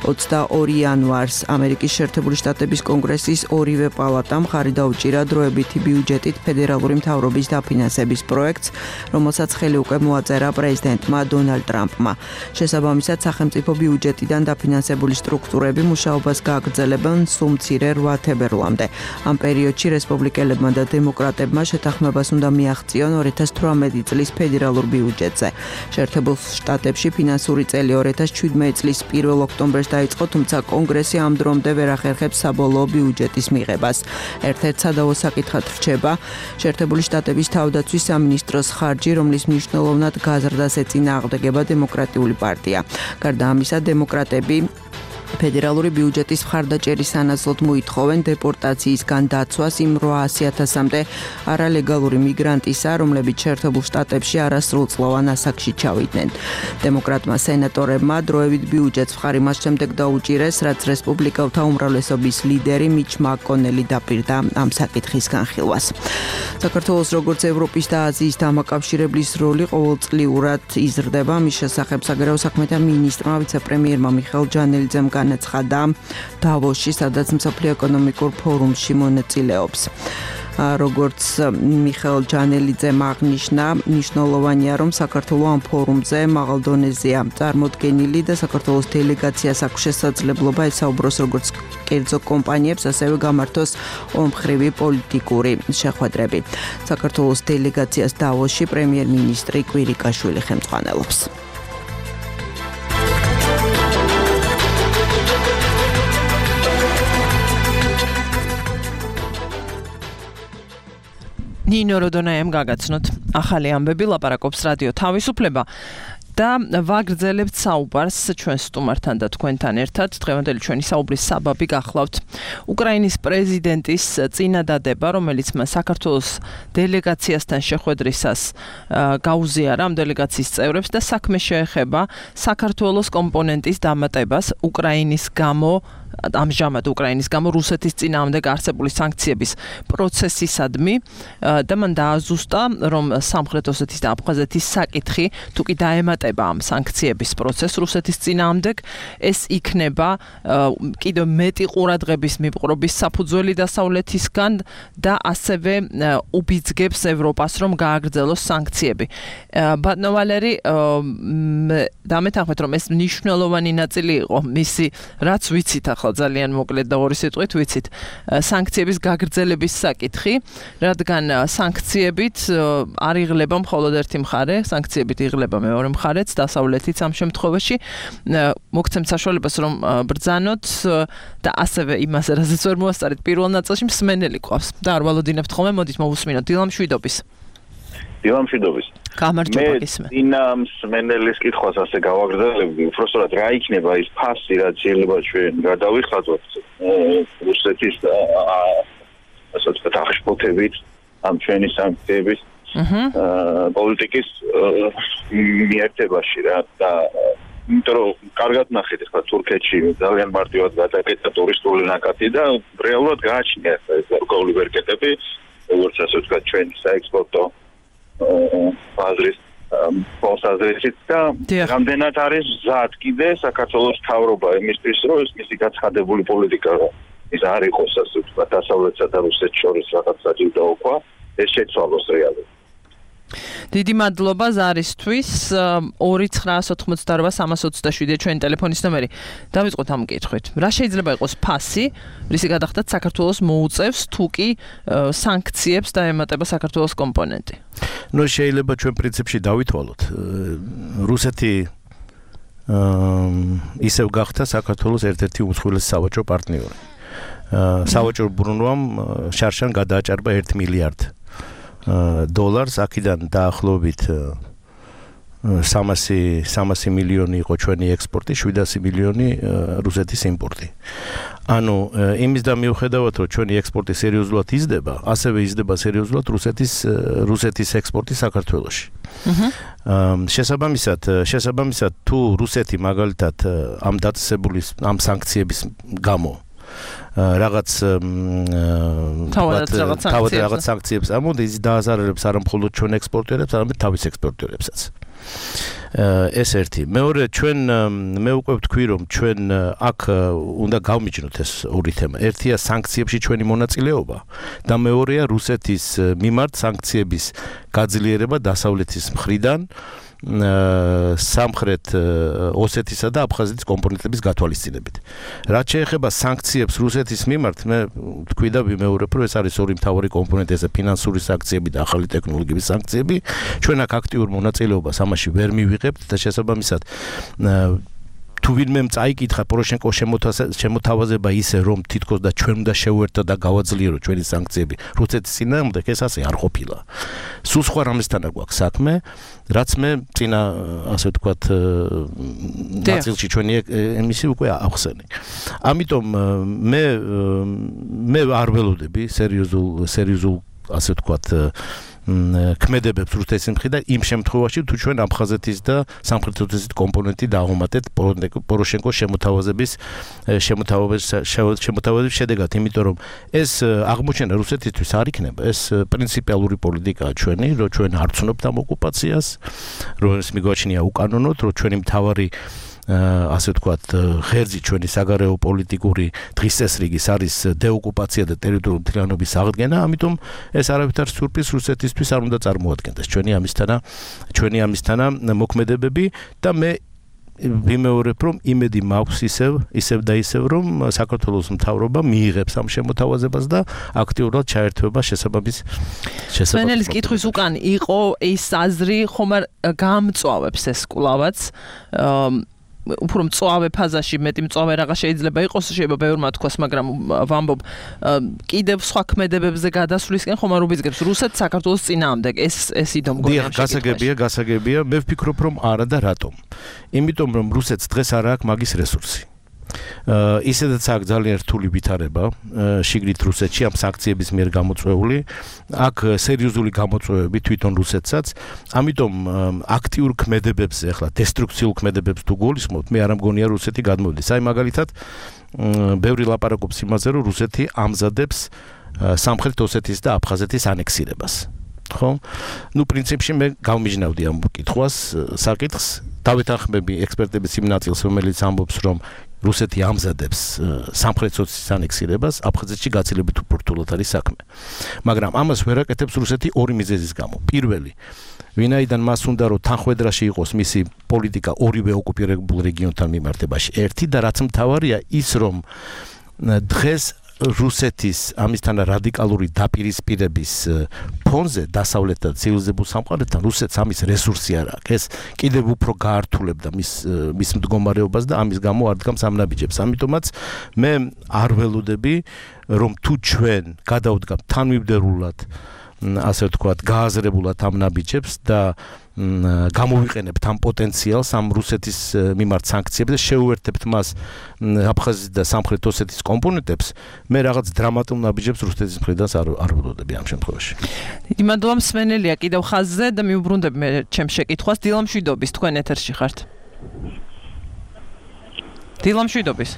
22 იანვარს ამერიკის შეერთებული შტატების კონგრესის ორივე პალატამ ხარი დაუჭირა დროებითი ბიუჯეტით ფედერალური მთავრობის დაფინანსების პროექტს, რომელსაც ხელი უკვე მოაწერა პრეზიდენტმა დონალდ ტრამპმა. შესაბამისად, სახელმწიფო ბიუჯეტიდან დაფინანსებული სტრუქტურები მუშაობას გააგრძელებენ სულ მცირე 8 თებერვლამდე. ამ პერიოდში რესპუბლიკელებმა და დემოკრატებმა შეთანხმებას უნდა მიაღწიონ 2018 წლის ფედერალურ ბიუჯეტზე. შეერთებულ შტატებში ფინანსური წელი 2017 წლის 1 ოქტომბერს დაიწყო, თუმცა კონგრესი ამ დრომდე ვერ ახერხებს საბოლოო ბიუჯეტის მიღებას. ერთ-ერთ სადავო საკითხად რჩება შეერთებული შტატების თავდაცვის სამინისტროს ხარჯი, რომლის მნიშვნელოვნად გაზრდას ეწინააღმდეგება დემოკრატიული პარტია. გარდა ამისა, დემოკრატები ფედერალური ბიუჯეტის მხარდაჭერის სანაცვლოდ მოითხოვენ დეპორტაციისგან დაცვას იმ 800,000-მდე არალეგალური მიგრანტისა, რომლებიც შეერთებულ შტატებში არასრულწლოვან ასაკში ჩავიდნენ. დემოკრატმა სენატორებმა დროებით ბიუჯეტს მხარი მას შემდეგ დაუჭირეს, რაც რესპუბლიკელთა უმრავლესობის ლიდერი მიჩ მაკონელი დაპირდა ამ საკითხის განხილვას. საქართველოს როგორც ევროპის და აზიის დამაკავშირებლის როლი ყოველწლიურად იზრდება. მის შესახებ საგარეო საქმეთა მინისტრმა ვიცე-პრემიერმა მიხეილ ჯანელიძემ განაცხადა დავოსში, სადაც მსოფლიო ეკონომიკურ ფორუმში მონაწილეობს. როგორც მიხეილ ჯანელიძემ აღნიშნა, მნიშვნელოვანია, რომ საქართველოს ამ ფორუმზე მაღალ დონეზეა წარმოდგენილი და საქართველოს დელეგაციას აქვს შესაძლებლობა ესაუბროს როგორც კერძო კომპანიებს, ასევე გამართოს ორმხრივი პოლიტიკური შეხვედრები. საქართველოს დელეგაციას დავოსში პრემიერ-მინისტრი კვირიკაშვილი ხელმძღვანელობს. ნინო როდონაიამ გაგაცნოთ. ახალი ამბები ლაპარაკობს რადიო თავისუფლება და ვაგრძელებთ საუბარს ჩვენ სტუმართან და თქვენთან ერთად. დღევანდელი ჩვენი საუბრის საბაბი გახლავთ უკრაინის პრეზიდენტის წინადადება, რომელიც მას საქართველოს დელეგაციასთან შეხვედრისას გაუზიარა ამ დელეგაციის წევრებს და საქმე შეეხება საქართველოს კომპონენტის დამატებას უკრაინის გამო ამჟამად უკრაინის გამო რუსეთის წინააღმდეგ არსებული სანქციების პროცესისადმი და მან დააზუსტა, რომ სამხრეთ ოსეთის და აფხაზეთის საკითხი თუ კი დაემატება ამ სანქციების პროცესს რუსეთის წინააღმდეგ, ეს იქნება კიდევ მეტი ყურადღების მიპყრობის საფუძველი დასავლეთისგან და ასევე უბიძგებს ევროპას, რომ გააგრძელოს სანქციები. ბატონო ვალერი, დამეთანხმეთ, რომ ეს მნიშვნელოვანი ნაწილი იყო მისი, რაც ვიცით ახლა ძალიან მოკლედ და ორი სიტყვით ვიცით, სანქციების გაგრძელების საკითხი, რადგან სანქციებით არ იღლება მხოლოდ ერთი მხარე, სანქციებით იღლება მეორე მხარეც, დასავლეთიც ამ შემთხვევაში. მოგცემთ საშუალებას, რომ ბრძანოთ და ასევე იმას, რაზეც ვერ მოასწარეთ პირველ ნაწილში, მსმენელი ყავს და არ ვალოდინებთ ხოლმე, მოდით მოვუსმინოთ დილამ შვიდობის. დილამ შვიდობის. გამარჯობა გისმენთ. მე დინამ სმენელის კითხვას ასე გავაგრძელებდი, უბრალოდ რა იქნება ის ფასი, რაც შეიძლება ჩვენ გადავიხადოთ რუსეთის ასე ვთქვათ აღშფოთებით ამ ჩვენი სანქციების პოლიტიკის მიერთებაში რა და იმიტომ რომ კარგად ნახეთ ახლა თურქეთში ძალიან მარტივად გადაკეთდა ტურისტული ნაკადი და რეალურად გააჩნია ეს გარკვეული ვერკეტები, როგორც ასე ვთქვათ ჩვენი საექსპორტო ბაზრის პოსტაზრით და რამდენად არის მზად კიდე საქართველოს მთავრობა იმისთვის, რომ ეს მისი გაცხადებული პოლიტიკა ის არ იყოს ასე ვთქვათ დასავლეთსა და რუსეთს შორის რაღაც საჯილდოობა, ეს შეცვალოს რეალურად. დიდი მადლობა ზარისთვის. 2988327 ჩვენი ტელეფონის ნომერი. დავიწყოთ ამ კითხვით. რა შეიძლება იყოს ფასი, რისი გადახდაც საქართველოს მოუწევს თუ კი სანქციებს დაემატება საქართველოს კომპონენტი? ნუ შეიძლება ჩვენ პრინციპში დავითვალოთ. რუსეთი ისევ გახდა საქართველოს ერთ-ერთი უმსხვილესი სავაჭრო პარტნიორი. სავაჭრო ბრუნვამ შარშან გადააჭარბა 1 მილიარდ დოლარს, აქედან დაახლოებით 300 მილიონი იყო ჩვენი ექსპორტი, 700 მილიონი რუსეთის იმპორტი. ანუ იმის და მიუხედავად, რომ ჩვენი ექსპორტი სერიოზულად იზრდება, ასევე იზრდება სერიოზულად რუსეთის ექსპორტი საქართველოში. შესაბამისად, თუ რუსეთი მაგალითად ამ დაწესებული ამ სანქციების გამო რაღაც თავად სანქციებს ამოდის, დააზარალებს არა მხოლოდ ჩვენ ექსპორტიორებს, არამედ თავის ექსპორტიორებსაც. ეს ერთი. მეორე, ჩვენ მე უკვე ვთქვი, რომ ჩვენ აქ უნდა გავმიჯნოთ ეს ორი თემა. ერთია სანქციებში ჩვენი მონაწილეობა და მეორეა რუსეთის მიმართ სანქციების გაძლიერება დასავლეთის მხრიდან სამხრეთ ოსეთისა და აფხაზეთის კომპონენტების გათვალისწინებით. რაც შეეხება სანქციებს რუსეთის მიმართ, მე თქვი და ვიმეორებ, რომ ეს არის ორი მთავარი კომპონენტი, ეს ფინანსური სანქციები და ახალი ტექნოლოგიების სანქციები. ჩვენ აქ აქტიურ მონაწილეობას ამაში ვერ მივიღებთ და შესაბამისად თუ ვინმემ წაიკითხა პოროშენკოს შემოთავაზება ისე რომ თითქოს და ჩვენ უნდა შევერთოთ და გავაძლიეროთ ჩვენი სანქციები რუსეთის წინააღმდეგ, ეს ასე არ ყოფილა. სულ სხვა რამესთან გვაქვს საქმე, რაც მე წინა ასე ვთქვათ ნაწილში ჩვენი ემისი უკვე ახსენე. ამიტომ მე არ ველოდები სერიოზულ ასე ვთქვათ ქმედებებს რუსეთის მხრიდან იმ შემთხვევაში თუ ჩვენ აფხაზეთის და სამხრეთ ოსეთის კომპონენტი დააღმატეთ პოროშენკოს შემოთავაზების შედეგად, იმიტომ რომ ეს აღმოჩენა რუსეთისთვის არ იქნება, ეს პრინციპალური პოლიტიკაა ჩვენი, რომ ჩვენ არ ვცნობთ ამ ოკუპაციას, რომ ეს მიგვაჩნია უკანონოდ, რომ ჩვენი მთავარი ასე ვთქვათ ღერძი ჩვენი საგარეო პოლიტიკური დღის წესრიგის არის დეოკუპაცია და ტერიტორიული მთლიანობის აღდგენა, ამიტომ ეს არავითარ სიურპრიზს რუსეთისთვის არ უნდა წარმოადგენდეს ჩვენი ამისთანა მოქმედებები და მე ვიმეორებ, რომ იმედი მაქვს ისევ და ისევ, რომ საქართველოს მთავრობა მიიღებს ამ შემოთავაზებას და აქტიურად ჩაერთვება შესაბამის სვენელის კითხვის უკან იყო ის აზრი, ხომ არ გამწვავებს ეს კვლავაც უფრო მწვავე ფაზაში, მეტი მწვავე რაღაც შეიძლება იყოს, შეიძლება ბევრმა თქვას, მაგრამ ვამბობ, კიდევ სხვა ქმედებებზე გადასვლისკენ ხომ არ უბიძგებს რუსეთს საქართველოს წინააღმდეგ, ეს იდო მგონია გასაგებია, მე ვფიქრობ, რომ არა და რატომ? იმიტომ რომ რუსეთს დღეს არ აქვს მაგის რესურსი. ისედაც აქვს ძალიან რთული ვითარება შიგნით რუსეთში ამ სანქციების მიერ გამოწვეული, აქ სერიოზული გამოწვევები თვითონ რუსეთსაც, ამიტომ აქტიურ ქმედებებზე, ახლა დესტრუქციულ ქმედებებს თუ გულისხმობთ, მე არ მგონია რუსეთი გადმოვიდეს. აი მაგალითად, ბევრი ლაპარაკობს იმაზე, რომ რუსეთი ამზადებს სამხრეთ ოსეთის და აფხაზეთის ანექსირებას. ხო? პრინციპში მე გავმიჯნავდი ამ საკითხს, დავეთანხმები ექსპერტების იმ ნაწილს, რომელიც ამბობს, რომ რუსეთი ამზადებს სამხრეთ ოსეთის ანექსირებას, აფხაზეთში გაცილებით უფრო რთულად არის საქმე. მაგრამ ამას ვერ აკეთებს რუსეთი ორი მიზეზის გამო. პირველი, ვინაიდან მას უნდა რომ თანხმედრაში იყოს მისი პოლიტიკა ორივე ოკუპირებულ რეგიონთან მიმართებაში. ერთი და რაც მთავარია ის, რომ დღეს რუსეთის ამისთან რადიკალური დაპირისპირების ფონზე დასავლეთ და ცივილიზებულ სამყაროსთან რუსეთს ამის რესურსი არ აქვს. ეს კიდევ უფრო გაართულებდა მის მდგომარეობას და ამის გამო არ დგამს ამ ნაბიჯებს. ამიტომაც მე არ ველოდები, რომ თუ ჩვენ გადავდგამთ თანმიმდევრულად, ასე ვთქვათ, გააზრებულად ამ ნაბიჯებს და გამოვიყენებთ ამ პოტენციალს ამ რუსეთის მიმართ სანქციებს და შეუერთებთ მას აფხაზეთის და სამხრეთ ოსეთის კომპონენტებს, მე რაღაც დრამატულ ნაბიჯებს რუსეთის მხრიდან არ ველოდები ამ შემთხვევაში. დიდი მადლობა, მსმენელია კიდევ ხაზზე და მიუბრუნდები მე ჩემს შეკითხვას. დილამშვიდობის, თქვენ ეთერში ხართ. დილამშვიდობის.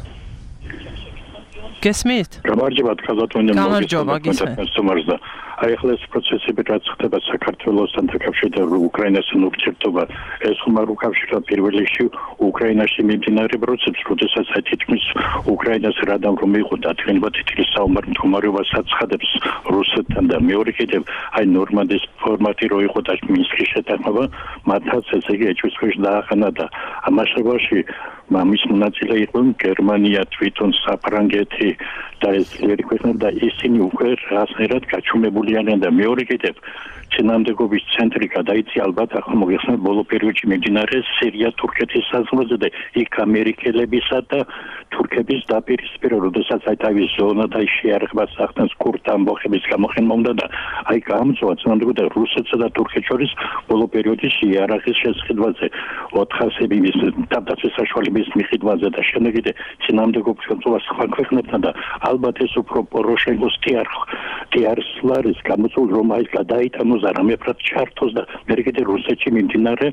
გესმით? გამარჯობა, ხაზათვენე გამარჯობა, გესმით. აი ახლა ეს პროცესები რაც ხდება საქართველოსთან დაკავშირებით უკრაინასთან ურთიერთობა, ეს ხომ არ უკავშირდება პირველ რიგში უკრაინაში მიმდინარე პროცესს, როდესაც თითქმის უკრაინას რადამ რომ იყო დადგენილება თითქმის საომარ მდგომარეობას აცხადებს რუსეთთან და მეორე კიდევ აი ნორმანდის ფორმატი რო იყო და მინსკის შეთანხმება, მათაც ესე იგი ეჭვისქვეშ დაახანა და ამასობაში მამის მონაწილე იყო გერმანია, თვითონ საფრანგეთი და ეს ქვეყნები და ისინი უკვე რაღაცნაირად გაჩუმებულიანენ და მეორე კიდევ წინამდებობის ცენტრი გადაიცი ალბათ ახლა მოგეხსენებათ ბოლო პერიოდში მიმდინარე სირია-თურქეთის საზღვარზე და იქ ამერიკელებისა და თურქების დაპირისპირება, როდესაც აი თავის ზონა და შეარაღებას ახდენს კურდ ამბოხების გამოყენება უნდა და აი გამწვა წინამდებობა რუსეთსა და თურქეთს შორის ბოლო პერიოდში შეარაღის შესყიდვაზე 400 მის თავდაცვის საშუალების მიყიდვაზე და შემდეგ კიდე წინამდებობის კონტროლს სხვა ქვეყნებთან და ალბათ ეს უფრო პოროშენკოს ტიარსლარის გამოწვეულ რომ აი გადაიტანოს არამეფრად ჩართოს და მე კიდე რუსეთში მიმდინარე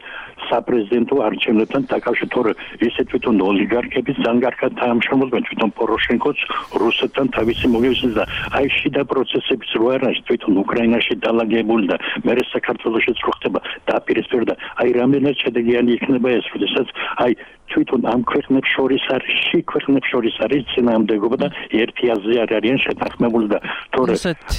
საპრეზიდენტო არჩევნებთან დაკავშირებით, თორე ისე თვითონ ოლიგარქების ზანგარქად თანამშრომლობენ თვითონ პოროშენკოც რუსეთთან თავისი მოგევისის და აი შიდა პროცესების რო არის თვითონ უკრაინაში დალაგებული და მე საქართველოშიც რო ხდება დაპირისპირება და აი რამდენად შედეგიანი იქნება ეს, როდესაც აი თვითონ ამ ქვეყნებს შორის არის წინააღმდეგობა და ერთი აზრი არ არიან შეთანხმებული და თორე რუსეთს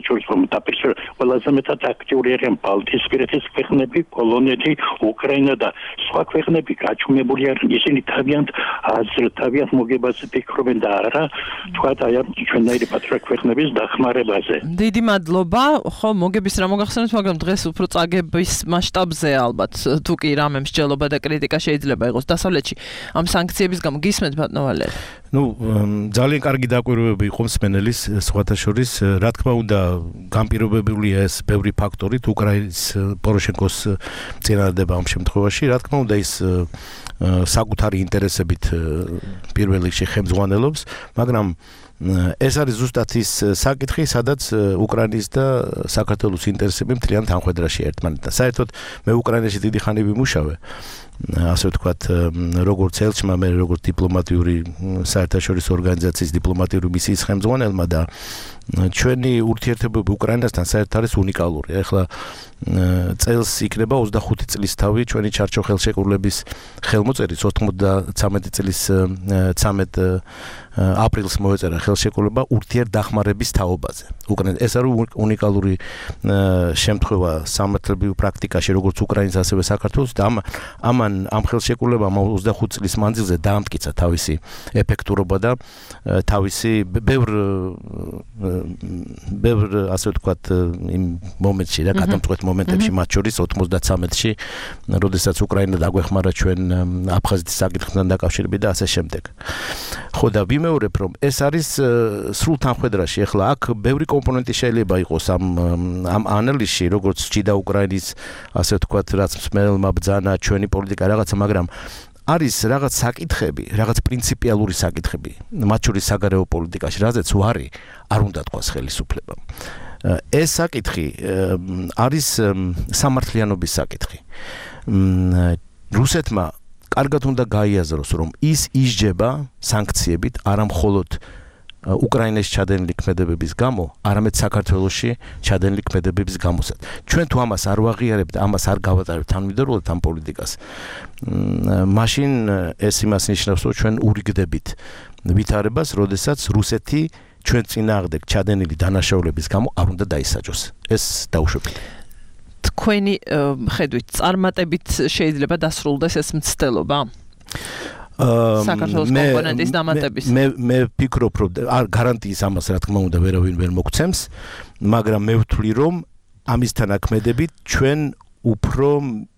შორის რომ დაპირისპირება ყველაზე მეტად აქტიური არიან ბალტიისპირეთის ქვეყნები, პოლონეთი, უკრაინა და სხვა ქვეყნები გაჩუმებული არიან. ისინი თავიანთ მოგებაზე ფიქრობენ და არა თქვათ აი ამ ჩვენნაირი პატრიოტ ქვეყნების დახმარებაზე. დიდი მადლობა. ხო, მოგების რა მოგახსენეთ, მაგრამ დღეს უფრო წაგების მასშტაბზე ალბათ თუ კი რამე მსჯელობა და კრიტიკა შეიძლება იყოს დასავლეთში ამ სანქციების გამო. გისმენთ ბატონო ვალერი? ძალიან კარგი დაკვირვებები იყო მსმენელის სხვათა შორის, რა თქმა უნდა, განპირობებულია ეს ბევრი ფაქტორით უკრაინის პოროშენკოს წინადადება ამ შემთხვევაში, რა თქმა უნდა ის საკუთარი ინტერესებით პირველ რიგში ხელმძღვანელობს, მაგრამ ეს არის ზუსტად ის საკითხი, სადაც უკრაინის და საქართველოს ინტერესები მთლიანად ამხედრაში ერთმანეთთან. საერთოდ მე უკრაინაში დიდი ხანი ვიმუშავე, ასე ვთქვათ, როგორც ელჩმა, მე როგორც დიპლომატიური საერთაშორისო ორგანიზაციის დიპლომატიური მისიის ხელმძღვანელმა და ჩვენი ურთიერთობები უკრაინასთან საერთოდ არის უნიკალური. ეხლა წელს იქნება 25 წლის თავი ჩვენი ჩარჩო ხელშეკრულების ხელმოწერის 93 წლის 13 აპრილს მოეწერა ხელშეკრულება ურთიერთდახმარების თაობაზე. ეს არის უნიკალური შემთხვევა სამართლებრივ პრაქტიკაში, როგორც უკრაინის ასევე საქართველოს და ამ ხელშეკრულებამ 25 წლის მანძილზე დაამტკიცა თავისი ეფექტურობა და თავისი ბევრ ასე ვთქვათ იმ მომენტში რა გადამწყვეტ მომენტებში მათ შორის 93-ში, როდესაც უკრაინა დაგვეხმარა ჩვენ აფხაზეთის საკითხთან დაკავშირებით და ასე შემდეგ. ხო და ვიმეორებ, რომ ეს არის სრულ თანხმედრაში. ეხლა აქ ბევრი კომპონენტი შეიძლება იყოს ამ ანალიზში, როგორც ჭიდა უკრაინის ასე ვთქვათ, რაც მსმენელმა ბრძანა ჩვენი პოლიტიკა რაღაცა, მაგრამ არის რაღაც საკითხები, რაღაც პრინციპიალური საკითხები, მათ შორის საგარეო პოლიტიკაში, რაზეც ვარი არ უნდა თქვას ხელისუფლებამ. ეს საკითხი არის სამართლიანობის საკითხი. რუსეთმა კარგად უნდა გაიაზროს, რომ ის ისჯება სანქციებით არა მხოლოდ უკრაინაში ჩადენილი ქმედებების გამო, არამედ საქართველოში ჩადენილი ქმედებების გამოსაც. ჩვენ თუ ამას არ ვაღიარებთ, ამას არ გავატარებთ თანმიმდევრულად ამ პოლიტიკას, მაშინ ეს იმას ნიშნავს, რომ ჩვენ ურიგდებით ვითარებას, როდესაც რუსეთი ჩვენ წინააღმდეგ ჩადენილი დანაშაულების გამო არ უნდა დაისაჯოს. ეს დაუშვებელია. თქვენი ხედვით წარმატებით შეიძლება დასრულდეს ეს მცდელობა? საქართველოს კომპონენტის დამატების. მე ვფიქრობ, რომ გარანტიის ამას რა თქმა უნდა ვერავინ ვერ მოგცემს, მაგრამ მე ვთვლი, რომ ამისთან აქმედებით ჩვენ უფრო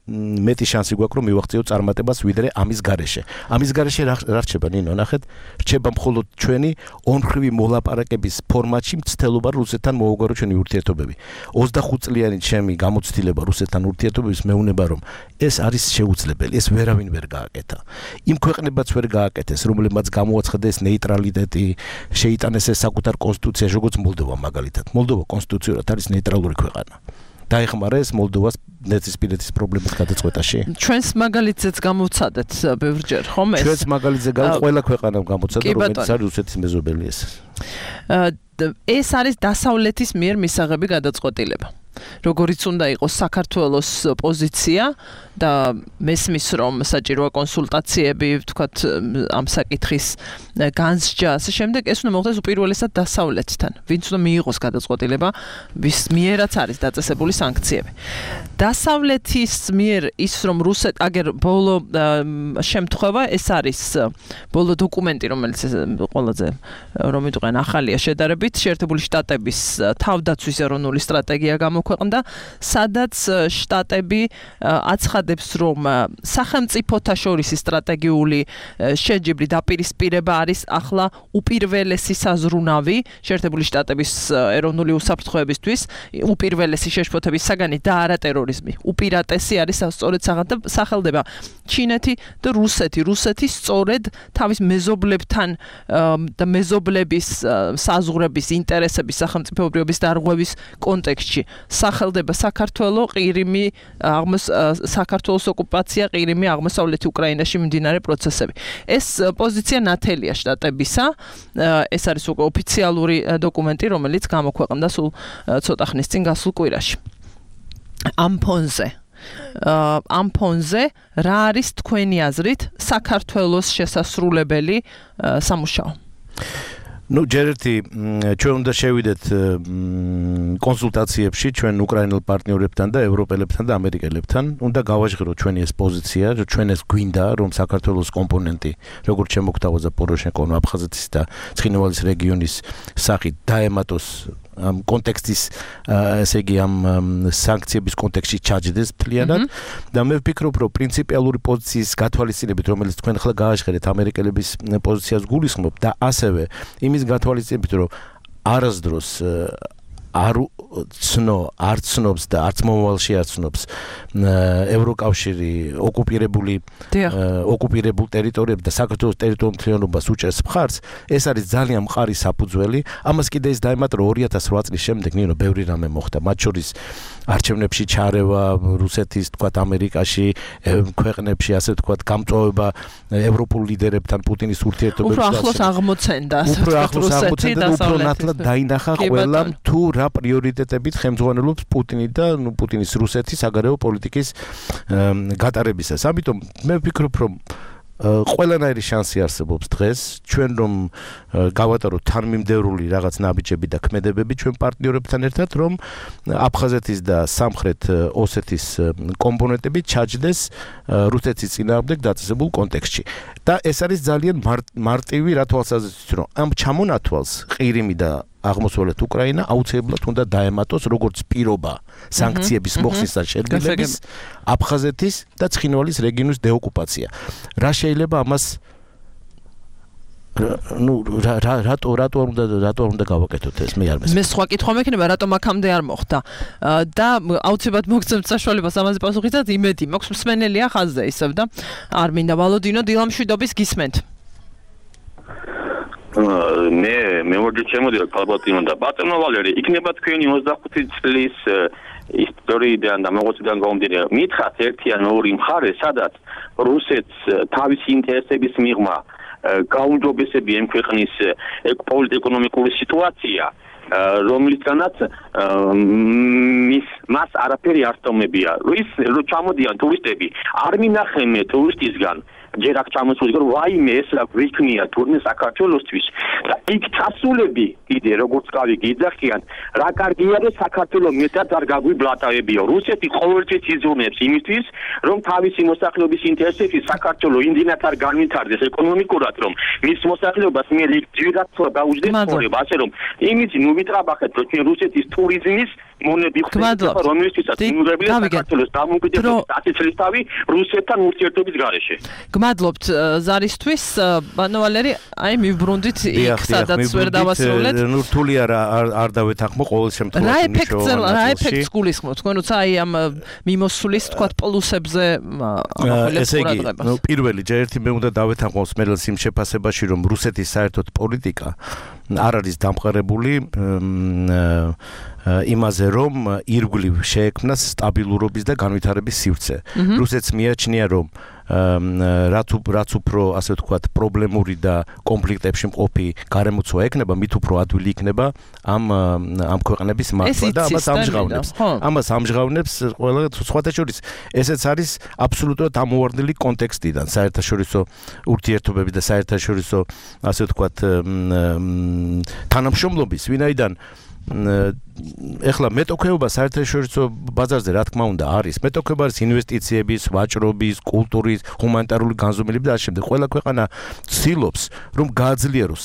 მეტი შანსი გვაქვს, რომ მივაღწიოთ წარმატებას ვიდრე ამის გარეშე. ამის გარეშე რა რჩება, ნინო, ნახეთ, რჩება მხოლოდ ჩვენი ონხრივი მოლაპარაკების ფორმატში მცდელობა რუსეთთან მოუგვარო ჩვენი ურთიერთობები. 25 წლიანი ჩემი გამოცდილება რუსეთთან ურთიერთობების მეუნება, რომ ეს არის შეუძლებელი, ეს ვერავინ ვერ გააკეთა. იმ ქვეყნებაც ვერ გააკეთეს, რომლებმაც გამოაცხადეს ნეიტრალიტეტი, შეიტანეს ეს საკუთარ კონსტიტუციაში, როგორც მოლდოვა მაგალითად. მოლდოვა კონსტიტუციურად არის ნეიტრალური ქვეყანა. დაეხმარა ეს მოლდოვას ნეცისპირეთის პრობლემის გადაწყვეტაში. ჩვენს მაგალითზეც გამოვცადეთ ბევრჯერ, ხომ ეს? ჩვენს მაგალითზე ყველა ქვეყანამ გამოცადა, რომელიც არის რუსეთის მეზობელი ეს. ეს არის დასავლეთის მიერ მისაღები გადაწყვეტილება. როგორიც უნდა იყოს საქართველოს პოზიცია და მესმის რომ საჭიროა კონსულტაციები, ვთქვათ, ამ საკითხის განსჯა, ასე შემდეგ, ეს უნდა მოხდეს უპირველესად დასავლეთთან, ვინც უნდა მიიღოს გადაწყვეტილება, ვის მიერაც არის დაწესებული სანქციები. დასავლეთის მიერ ის რომ აგერ ბოლო შემთხვევა, ეს არის ბოლო დოკუმენტი, რომელიც ყველაზე რომ იტყვიან ახალია შედარებით, შეერთებული შტატების თავდაცვის ეროვნული სტრატეგია გამოქვეყნდა, სადაც შტატები აცხადებს, რომ სახელმწიფოთა შორისი სტრატეგიული შეჯიბრი დაპირისპირება არის ახლა უპირველესი საზრუნავი შეერთებული შტატების ეროვნული უსაფრთხოებისთვის, უპირველესი შეშფოთების საგანი და არა ტერორიზმი. უპირატესი არის სწორედ სახელდება ჩინეთი და რუსეთი. რუსეთი სწორედ თავის მეზობლებთან და მეზობლების საზღვრების ინტერესების სახელმწიფოებრიობის დარღვევის კონტექსტში სახელდება საქართველოს ყირიმი საქართველოს ოკუპაცია ყირიმი აღმოსავლეთი უკრაინაში მიმდინარე პროცესები. ეს პოზიცია ნათელია შტატებისა. ეს არის უკვე ოფიციალური დოკუმენტი, რომელიც გამოქვეყნდა სულ ცოტა ხნის წინ გასულ კვირაში. ამ ფონზე ამ ფონზე რა არის თქვენი აზრით საქართველოს შესასრულებელი სამუშაო? ჯერ ერთი ჩვენ უნდა შევიდეთ კონსულტაციებში ჩვენ უკრაინელ პარტნიორებთან და ევროპელებთან და ამერიკელებთან. უნდა გავაჟღეროთ ჩვენი ეს პოზიცია, რომ ჩვენ ეს გვინდა, რომ საქართველოს კომპონენტი, როგორც შემოგთავაზა პოროშენკომ აფხაზეთის და ცხინვალის რეგიონის სახით დაემატოს ამ კონტექსტის ესე იგი ამ სანქციების კონტექსტში ჩაჯდეს მთლიანად და მე ვფიქრობ რომ პრინციპიალური პოზიციის გათვალისწინებით რომელიც თქვენ ახლა გააჟღერეთ ამერიკელების პოზიციას გულისხმობ და ასევე იმის გათვალისწინებით რომ არასდროს არ ცნობს და არც მომავალში არ ცნობს ევროკავშირი ოკუპირებულ ტერიტორიებს და საქართველოს ტერიტორიულ მთლიანობას უჭერს მხარს, ეს არის ძალიან მყარი საფუძველი. ამას კიდე ის დაემატა 2008 წლის შემდეგ ნინო ბევრი რამე მოხდა, მათ შორის არჩევნებში ჩარევა რუსეთის, თქვათ ამერიკაში, ქვეყნებში, ასე ვთქვათ, გამწვავება ევროპულ ლიდერებთან პუტინის ურთიერთობებში. უფრო ახლოს აღმოცენდა, უფრო ნათლად დაინახა ყველამ თუ რა პრიორიტეტებით ხელმძღვანელობს პუტინი და პუტინის რუსეთის საგარეო პოლიტიკის გატარებისას. ამიტომ მე ვფიქრობ, რომ ყველანაირი შანსი არსებობს დღეს ჩვენ რომ გავატაროთ თანმიმდევრული რაღაც ნაბიჯები და ქმედებები ჩვენ პარტნიორებთან ერთად, რომ აფხაზეთის და სამხრეთ ოსეთის კომპონენტები ჩაჯდეს რუსეთის წინააღმდეგ დაწესებულ კონტექსტში. და ეს არის ძალიან მარტივი რა თვალსაზრისით, რომ ამ ჩამონათვალს ყირიმი და აღმოსავლეთ უკრაინა აუცილებლად უნდა დაემატოს როგორც პირობა სანქციების მოხსნის და შერგილების აფხაზეთის და ცხინვალის რეგიონის დეოკუპაცია. რა შეიძლება ამას რატო უნდა გავაკეთოთ ეს მე არ მესმის. მე სხვა კითხვა მექნება, რატომ აქამდე არ მოხდა და აუცილებლად მოგცემთ საშუალებას ამაზე პასუხი და იმედი მაქვს მსმენელია ხაზზე ისევ და არ მინდა ვალოდინო დილამშვიდობის გისმენთ. მე მოგეთ შემოდიო ქალბატონო და ბატონო ვალერი, იქნება თქვენი 25 წლის ისტორიიდან და მოღვაწეობიდან გამომდინარე, მითხრათ ერთი ან ორი მხარე, სადაც რუსეთს თავისი ინტერესების მიღმა გაუმჯობესებია იმ ქვეყნის პოლიტიკურ-ეკონომიკური სიტუაცია, რომლისგანაც მას არაფერი არ სტომებია. რო ჩამოდიან ტურისტები, არ მინახენ მე ტურისტისგან ჯერ აქ ჩამოსული რომ ვაიმე ეს რა გვიქნია თურმე საქართველოსთვის და იქ ჩასულები კიდე როგორც გავი გიძახიან რა კარგია რომ საქართველოს მეტად არ გაგვიბლატავებიო. რუსეთი ყოველთვის იზრუნებს იმისთვის რომ თავისი მოსახლეობის ინტერესებში საქართველოს იმდენად არ განვითარდეს ეკონომიკურად რომ მის მოსახლეობას მე ჯერაც დაუჯდეს ხორება, ასე რომ იმით ნუ ვიტრაბახეთ რომ ჩვენ რუსეთის ტურიზმის მონები ხდება რომელიცაც იმურებია საქართველოს დამოუკიდებლობის 10 წლისთავი რუსეთთან ურთიერთობის გარეშე. გმადლობთ ზარისთვის, ბატონო ვალერი, აი მივბრუნდით იქ სადაც ვერ დავასრულეთ. ნუ რთული არ დავეთანხმო ყოველ შემთხვევაში მნიშვნელოვანი. რა ეფექტს გულისხმობთ თქვენ, როცა აი ამ მიმოსulis თქვათ პლუსებზე ამახვილებს ყურადღებას. ნუ პირველი ჯერ ერთი მე უნდა დავეთანხმო მსმენელს იმ შეფასებაში რომ რუსეთის საერთოდ პოლიტიკა არ არის დამყარებული იმაზე რომ ირგვლივ შეექმნას სტაბილურობის და განვითარების სივრცე. რუსეთს მიაჩნია რომ რაც უფრო ასე ვთქვათ პრობლემური და კონფლიქტებში მყოფი გარემოცვა ექნება, მით უფრო ადვილი იქნება ამ ქვეყნების მართვა და ამას ამჟღავნებს ყველა სხვათა შორის. ესეც არის აბსოლუტურად ამოვარდნილი კონტექსტიდან საერთაშორისო ურთიერთობები და საერთაშორისო ასე ვთქვათ თანამშრომლობის, ვინაიდან ეხლა მეტოქეობა საერთაშორისო ბაზარზე რა თქმა უნდა არის. მეტოქეობა არის ინვესტიციების, ვაჭრობის, კულტურის, ჰუმანიტარული განზომილების და ამ შემდეგ. ყველა ქვეყანა ცდილობს რომ გააძლიეროს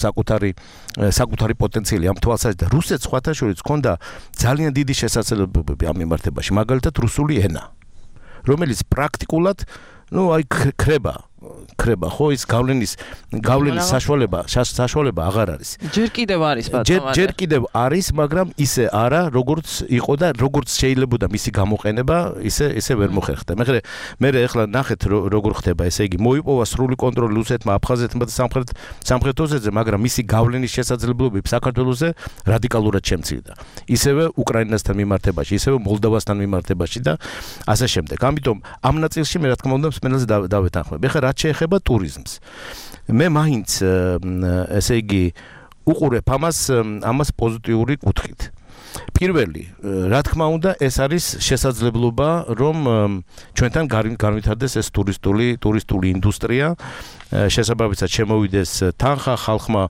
საკუთარი პოტენციალი ამ თვალსაზრისით და რუსეთს სხვათა შორის ჰქონდა ძალიან დიდი შესაძლებლობები ამ მიმართებაში, მაგალითად რუსული ენა, რომელიც პრაქტიკულად ხრება ხო ის გავლენის საშუალება აღარ არის. ჯერ კიდევ არის ბატონო. ჯერ კიდევ არის, მაგრამ ისე არა, როგორც იყო და როგორც შეიძლებოდა მისი გამოყენება, ისე ვერ მოხერხდა. მე ეხლა ნახეთ როგორ ხდება, ესე იგი მოიპოვა სრული კონტროლი რუსეთმა, აფხაზეთმა და სამხრეთ ოსეთზე, მაგრამ მისი გავლენის შესაძლებლობები საქართველოსზე რადიკალურად შემცირდა. ისევე უკრაინასთან მიმართებაში, ისევე მოლდოვასთან მიმართებაში და ასე შემდეგ. ამიტომ ამ ნაწილში მე რა თქმა უნდა მსმენელს დავეთანხმებ. ეხლა რაც შეეხება ტურიზმს. მე მაინც ესე იგი უყურებ ამას პოზიტიური კუთხით. პირველი, რა თქმა უნდა, ეს არის შესაძლებლობა, რომ ჩვენთან განვითარდეს ეს ტურისტული ინდუსტრია, შესაბამისად შემოვიდეს თანხა ხალხმა,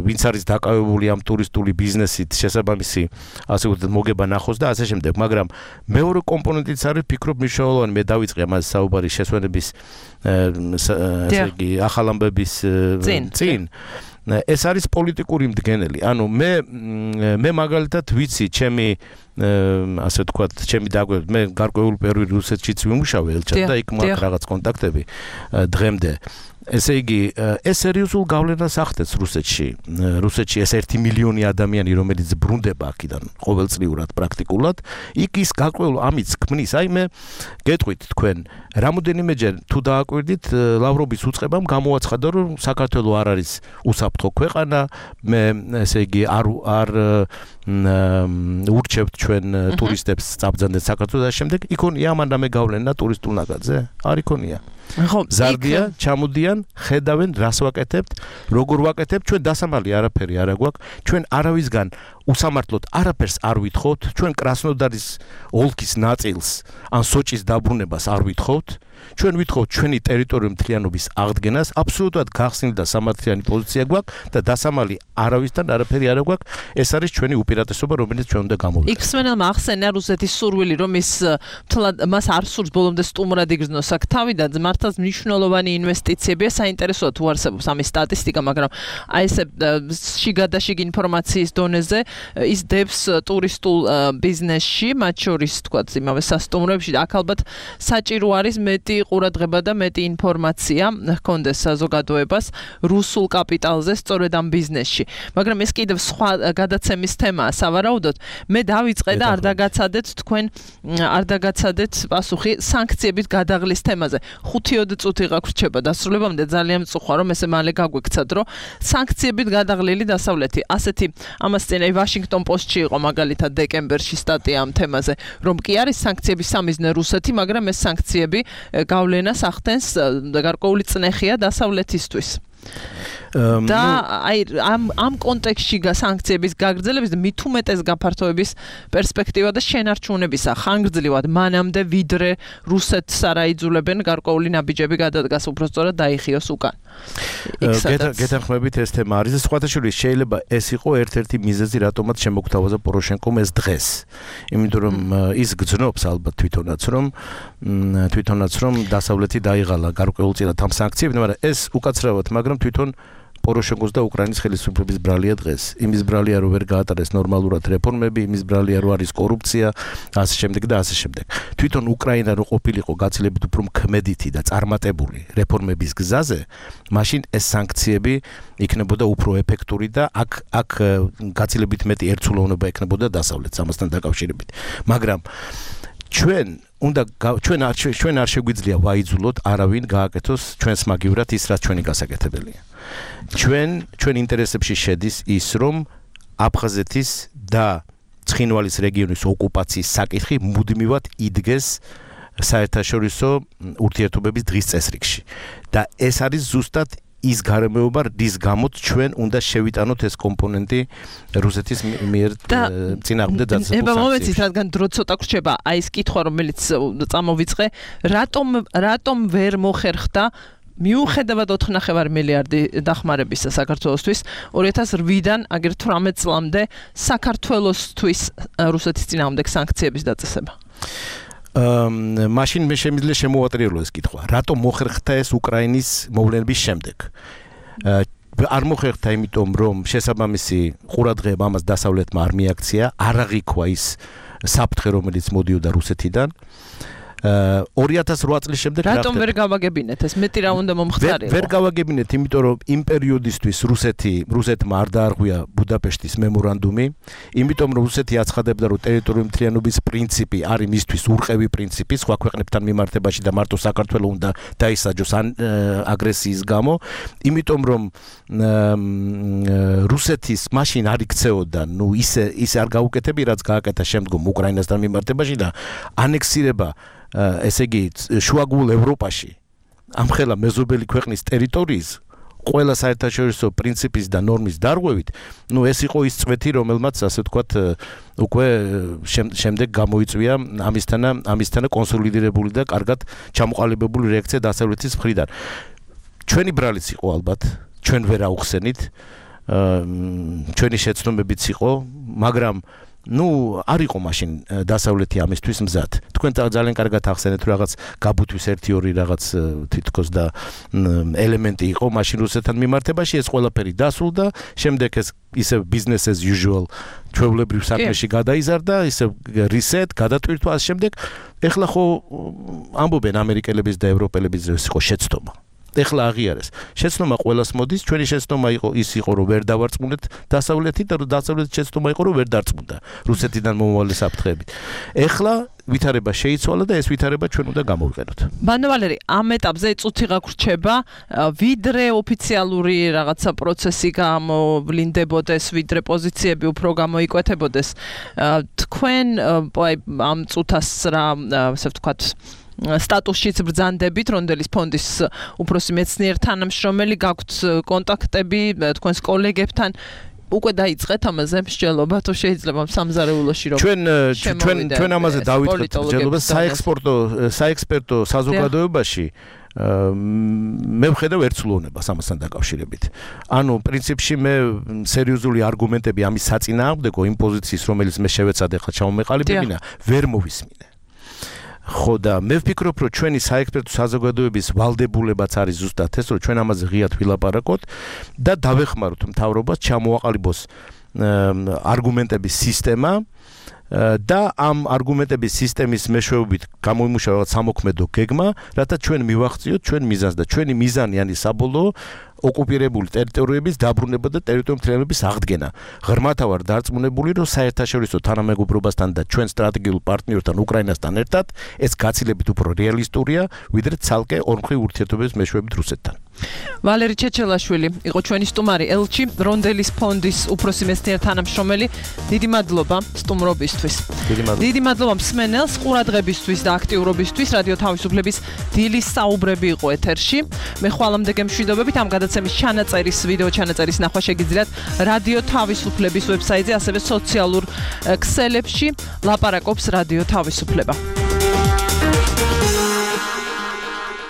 ვინც არის დაკავებული ამ ტურისტული ბიზნესით, შესაბამისი, ასე ვთქვათ, მოგება ნახოს და ასე შემდეგ, მაგრამ მეორე კომპონენტიც არის, ფიქრობ, მნიშვნელოვანი, მე დავიწყე ამაზე საუბარი შესვენების ესე იგი ახალ ამბების წინ. ეს არის პოლიტიკური მდგენელი. ანუ მე მაგალითად ვიცი, ჩემი ასე ვთქვათ, ჩემი დაგვეთ, მე გარკვეული პერიოდი რუსეთშიც ვიმუშავე ელჩად და იქ მაქვს რაღაც კონტაქტები დღემდე. ესე იგი, ეს სერიოზულ გავლენას ახდენს რუსეთში. რუსეთში ეს 1 მილიონი ადამიანი, რომელიც ბრუნდება აქედან ყოველწლიურად პრაქტიკულად, იქ ის გარკვეულ ამის ქმნის. აი მე გეტყვით თქვენ, რამოდენიმეჯერ თუ დააკვირდით, ლავროვის უწყებამ გამოაცხადა, რომ საქართველო არ არის უსაფრთხო ქვეყანა, მე ესე იგი არ ურჩევთ ჩვენ ტურისტებს წაბრძანდნენ საქართველოს და შემდეგ იქონია ამანდამე გავლენა ტურისტულ ნაკადზე? არ იქონია. ზარდია, ჩამოდიან, ხედავენ, რას ვაკეთებთ, როგორ ვაკეთებთ, ჩვენ დასამალი არაფერი არ აგვაქვს, ჩვენ არავისგან უსამართლოდ არაფერს არ ვითხოვთ, ჩვენ კრასნოდარის ოლქის ნაწილს ან სოჭის დაბრუნებას არ ვითხოვთ, ჩვენ ვითხოვთ ჩვენი ტერიტორიული მთლიანობის აღდგენას, აბსოლუტურად გახსნილი და სამართლიანი პოზიცია გვაქვს და დასამალი არავისთან არაფერი არ აგვაქვს, ეს არის ჩვენი უპირატესობა, რომელიც ჩვენ უნდა გამოვიყენოთ. იქსმენელმა ახსენა რუსეთის სურვილი, რომ მას არ სურს ბოლომდე სტუმრად იგრძნოს აქ თავი და მართლაც მნიშვნელოვანი ინვესტიციებია, საინტერესოა თუ არსებობს ამის სტატისტიკა, მაგრამ აი ესე შიგადაშიგ ინფორმაციის დონეზე ის დებს ტურისტულ ბიზნესში, მათ შორის თქვა იმავე სასტუმროებში, აქ ალბათ საჭირო არის მეტი ყურადღება და მეტი ინფორმაცია ჰქონდეს საზოგადოებას რუსულ კაპიტალზე სწორედ ამ ბიზნესში. მაგრამ ეს კიდევ სხვა გადაცემის თემაა სავარაუდოდ. მე დავიწყე და არ დაგაცადეთ პასუხი სანქციებით გადაღლის თემაზე. 5 წუთი გაგვრჩება დასრულებამდე, ძალიან მწუხა რომ ესე მალე გაგვექცათ, რომ სანქციებით გადაღლილი დასავლეთი. ასეთი ამას წინ ვაშინგტონ პოსტში იყო მაგალითად დეკემბერში სტატია ამ თემაზე, რომ კი არის სანქციების სამიზნე რუსეთი, მაგრამ ეს სანქციები გავლენას ახდენს გარკვეული წნეხია დასავლეთისთვის. და აი ამ კონტექსტში სანქციების გაგრძელების და მით უმეტეს გაფართოების პერსპექტივა და შენარჩუნებისა ხანგრძლივად მანამდე ვიდრე რუსეთს არ აიძულებენ გარკვეული ნაბიჯები გადადგას, უფრო სწორად დაიხიოს უკან. გეთანხმებით ეს თემა არის და სხვათა შორის შეიძლება ეს იყო ერთ-ერთი მიზეზი, რატომაც შემოგთავაზა პოროშენკომ ეს დღეს. იმიტომ რომ ის გძნობს ალბათ თვითონაც რომ დასავლეთი დაიღალა გარკვეულწილად ამ სანქციებით, მაგრამ ეს უკაცრავად, მაგრამ თვითონ პოროშენკოს და უკრაინის ხელისუფლების ბრალია დღეს. იმის ბრალია, რომ ვერ გაატარეს ნორმალურად რეფორმები, იმის ბრალია, რომ არის კორუფცია, ასე შემდეგ და ასე შემდეგ. თვითონ უკრაინა რო ყოფილიყო გაცილებით უფრო ქმედითი და წარმატებული რეფორმების გზაზე, მაშინ ეს სანქციები იქნებოდა უფრო ეფექტური და აქ გაცილებით მეტი ერთსულოვნება ექნებოდა დასავლეთს ამასთან დაკავშირებით. მაგრამ ჩვენ არ შეგვიძლია ვაიძულოთ არავინ გააკეთოს ჩვენს მაგივრად ის, რაც ჩვენი გასაკეთებელია. ჩვენ ინტერესებში შედის ის, რომ აფხაზეთის და ცხინვალის რეგიონის ოკუპაციის საკითხი მუდმივად იდგეს საერთაშორისო ურთიერთობების დღის წესრიგში. და ეს არის ზუსტად ის გარემოება, რის გამოც ჩვენ უნდა შევიტანოთ ეს კომპონენტი რუსეთის მიერ წინააღმდეგ დაწყებულ სანქციებში. მომეცით, რადგან დრო ცოტა გრჩება, აი ეს კითხვა, რომელიც წამოვიწყე, რატომ ვერ მოხერხდა მიუხედავად 4.5 მილიარდი დახმარებისა საქართველოსთვის 2008-დან აგერ 18 წლამდე საქართველოსთვის რუსეთის წინააღმდეგ სანქციების დაწესება. მაშინ მე შემიძლია შემოვატრიალო ეს კითხვა. რატომ მოხერხდა ეს უკრაინის მოვლენების შემდეგ? არ მოხერხდა იმიტომ, რომ შესაბამისი ყურადღება ამას დასავლეთმა არ მიაქცია, არ აღიქვა ის საფრთხე, რომელიც მოდიოდა რუსეთიდან. 2008 წლის შემდეგ რატომ ვერ გავაგებინეთ ეს? მეტი რა უნდა მომხდარიყო? ვერ გავაგებინეთ, იმიტომ რომ იმ პერიოდისთვის რუსეთმა არ დაარღვია ბუდაპეშტის მემორანდუმი, იმიტომ რომ რუსეთი აცხადებდა, რომ ტერიტორიული მთლიანობის პრინციპი არის მისთვის ურყევი პრინციპი სხვა ქვეყნებთან მიმართებაში და მარტო საქართველოს უნდა დაისაჯოს აგრესიის გამო, იმიტომ რომ რუსეთის მაშინ არ იქცეოდა, ისე არ გაუკეთები, რაც გააკეთა შემდგომ უკრაინასთან მიმართებაში და ანექსირება ესე იგი შუაგულ ევროპაში ამხელა მეზობელი ქვეყნის ტერიტორიის ყველა საერთაშორისო პრინციპის და ნორმის დარღვევით, ეს იყო ის წვეთი, რომელმაც ასე ვთქვათ, უკვე შემდეგ გამოიწვია ამისთანა კონსოლიდირებული და კარგად ჩამოყალიბებული რეაქცია დასავლეთის მხრიდან. ჩვენი ბრალიც იყო ალბათ, ჩვენ ვერ აუხსენით, ჩვენი შეცდომებიც იყო, მაგრამ არ იყო მაშინ დასავლეთი ამისთვის მზად. თქვენ ძალიან კარგად ახსენეთ, რომ რაღაც გაბუთვის 1-2 რაღაც თითქოს და ელემენტი იყო მაშინ რუსეთთან მიმართებაში, ეს ყველაფერი დასრულდა, შემდეგ ეს ისე business as usual ჩვეულებრივ საქმეში გადაიზარდა, ისე reset, გადატვირთვა ამ შემდეგ. ეხლა ხო ამბობენ ამერიკელების და ევროპელების ეს იყო შეცდომა. ეხლა აღიარეს. შეცდომა ყველას მოდის, ჩვენი შეცდომა იყო რომ ვერ დავარწმუნეთ დასავლეთი და დასავლეთის შეცდომა იყო რომ ვერ დარწმუნდა რუსეთიდან მომავალი საფრთხეებით. ეხლა ვითარება შეიცვალა და ეს ვითარება ჩვენ უნდა გამოვიყენოთ. ბანო ვალერი, ამ ეტაპზე წუთი გაგვრჩება, ვიდრე ოფიციალური რაღაცა პროცესი გამოვლინდებოდეს, ვიდრე პოზიციები უფრო გამოიკვეთებოდეს. თქვენ ამ წუთას რა, ასე ვთქვათ, სტატუსშიც ბრძანდებით, რონდელის ფონდის უფროსი მეცნიერ თანამშრომელი, გაქვთ კონტაქტები თქვენს კოლეგებთან, უკვე დაიწყეთ ამაზე მსჯელობა, თუ შეიძლება სამზარეულოში რომ ჩვენ ამაზე დავიწყეთ მსჯელობა საექსპერტო საზოგადოებაში. მე ვხედავ ერთსულოვნებას ამასთან დაკავშირებით. ანუ პრინციპში მე სერიოზული არგუმენტები ამის საწინააღმდეგო იმ პოზიციის, რომელიც მე შევეცადე ხა ჩამომეყალიბებინა, ვერ მოვისმინე. ხო და მე ვფიქრობ, რომ ჩვენი საექსპერტო საზოგადოების ვალდებულებაც არის ზუსტად ეს, რომ ჩვენ ამაზე ღიად ვილაპარაკოთ და დავეხმაროთ მთავრობას ჩამოაყალიბოს არგუმენტების სისტემა და ამ არგუმენტების სისტემის მეშვეობით გამოიმუშავა რაღაც სამოქმედო გეგმა, რათა ჩვენ მივახციოთ ჩვენ მიზანს და ჩვენი მიზანი არის საბოლოო ოკუპირებული ტერიტორიების დაბრუნება და ტერიტორიების აღდგენა. ღრმათავარ დარწმუნებული, რომ საერთაშორისო თანამეგობრობასთან და ჩვენ სტრატეგიულ პარტნიორთან უკრაინასთან ერთად ეს გაცილებით უფრო რეალისტურია, ვიდრე ცალკე ორმხრივ ურთიერთობების მეშვეობით რუსეთთან. ვალერი ჩეჩელაშვილი იყო ჩვენი სტუმარი ელჩი, რონდელის ფონდის უფროსი მეცნიერ თანამშრომელი. დიდი მადლობა სტუმრობისთვის. დიდი მადლობა მსმენელს ყურადღებისთვის და აქტიურობისთვის. რადიო თავისუფლების დილის საუბრები იყო ეთერში. მე ხვალამდე გემშვიდობებით ამ გადაცემის ჩანაწერის, ვიდეო ჩანაწერის ნახვა შეგიძლიათ რადიო თავისუფლების ვებსაიტზე, ასევე სოციალურ ქსელებში. ლაპარაკობს რადიო თავისუფლება.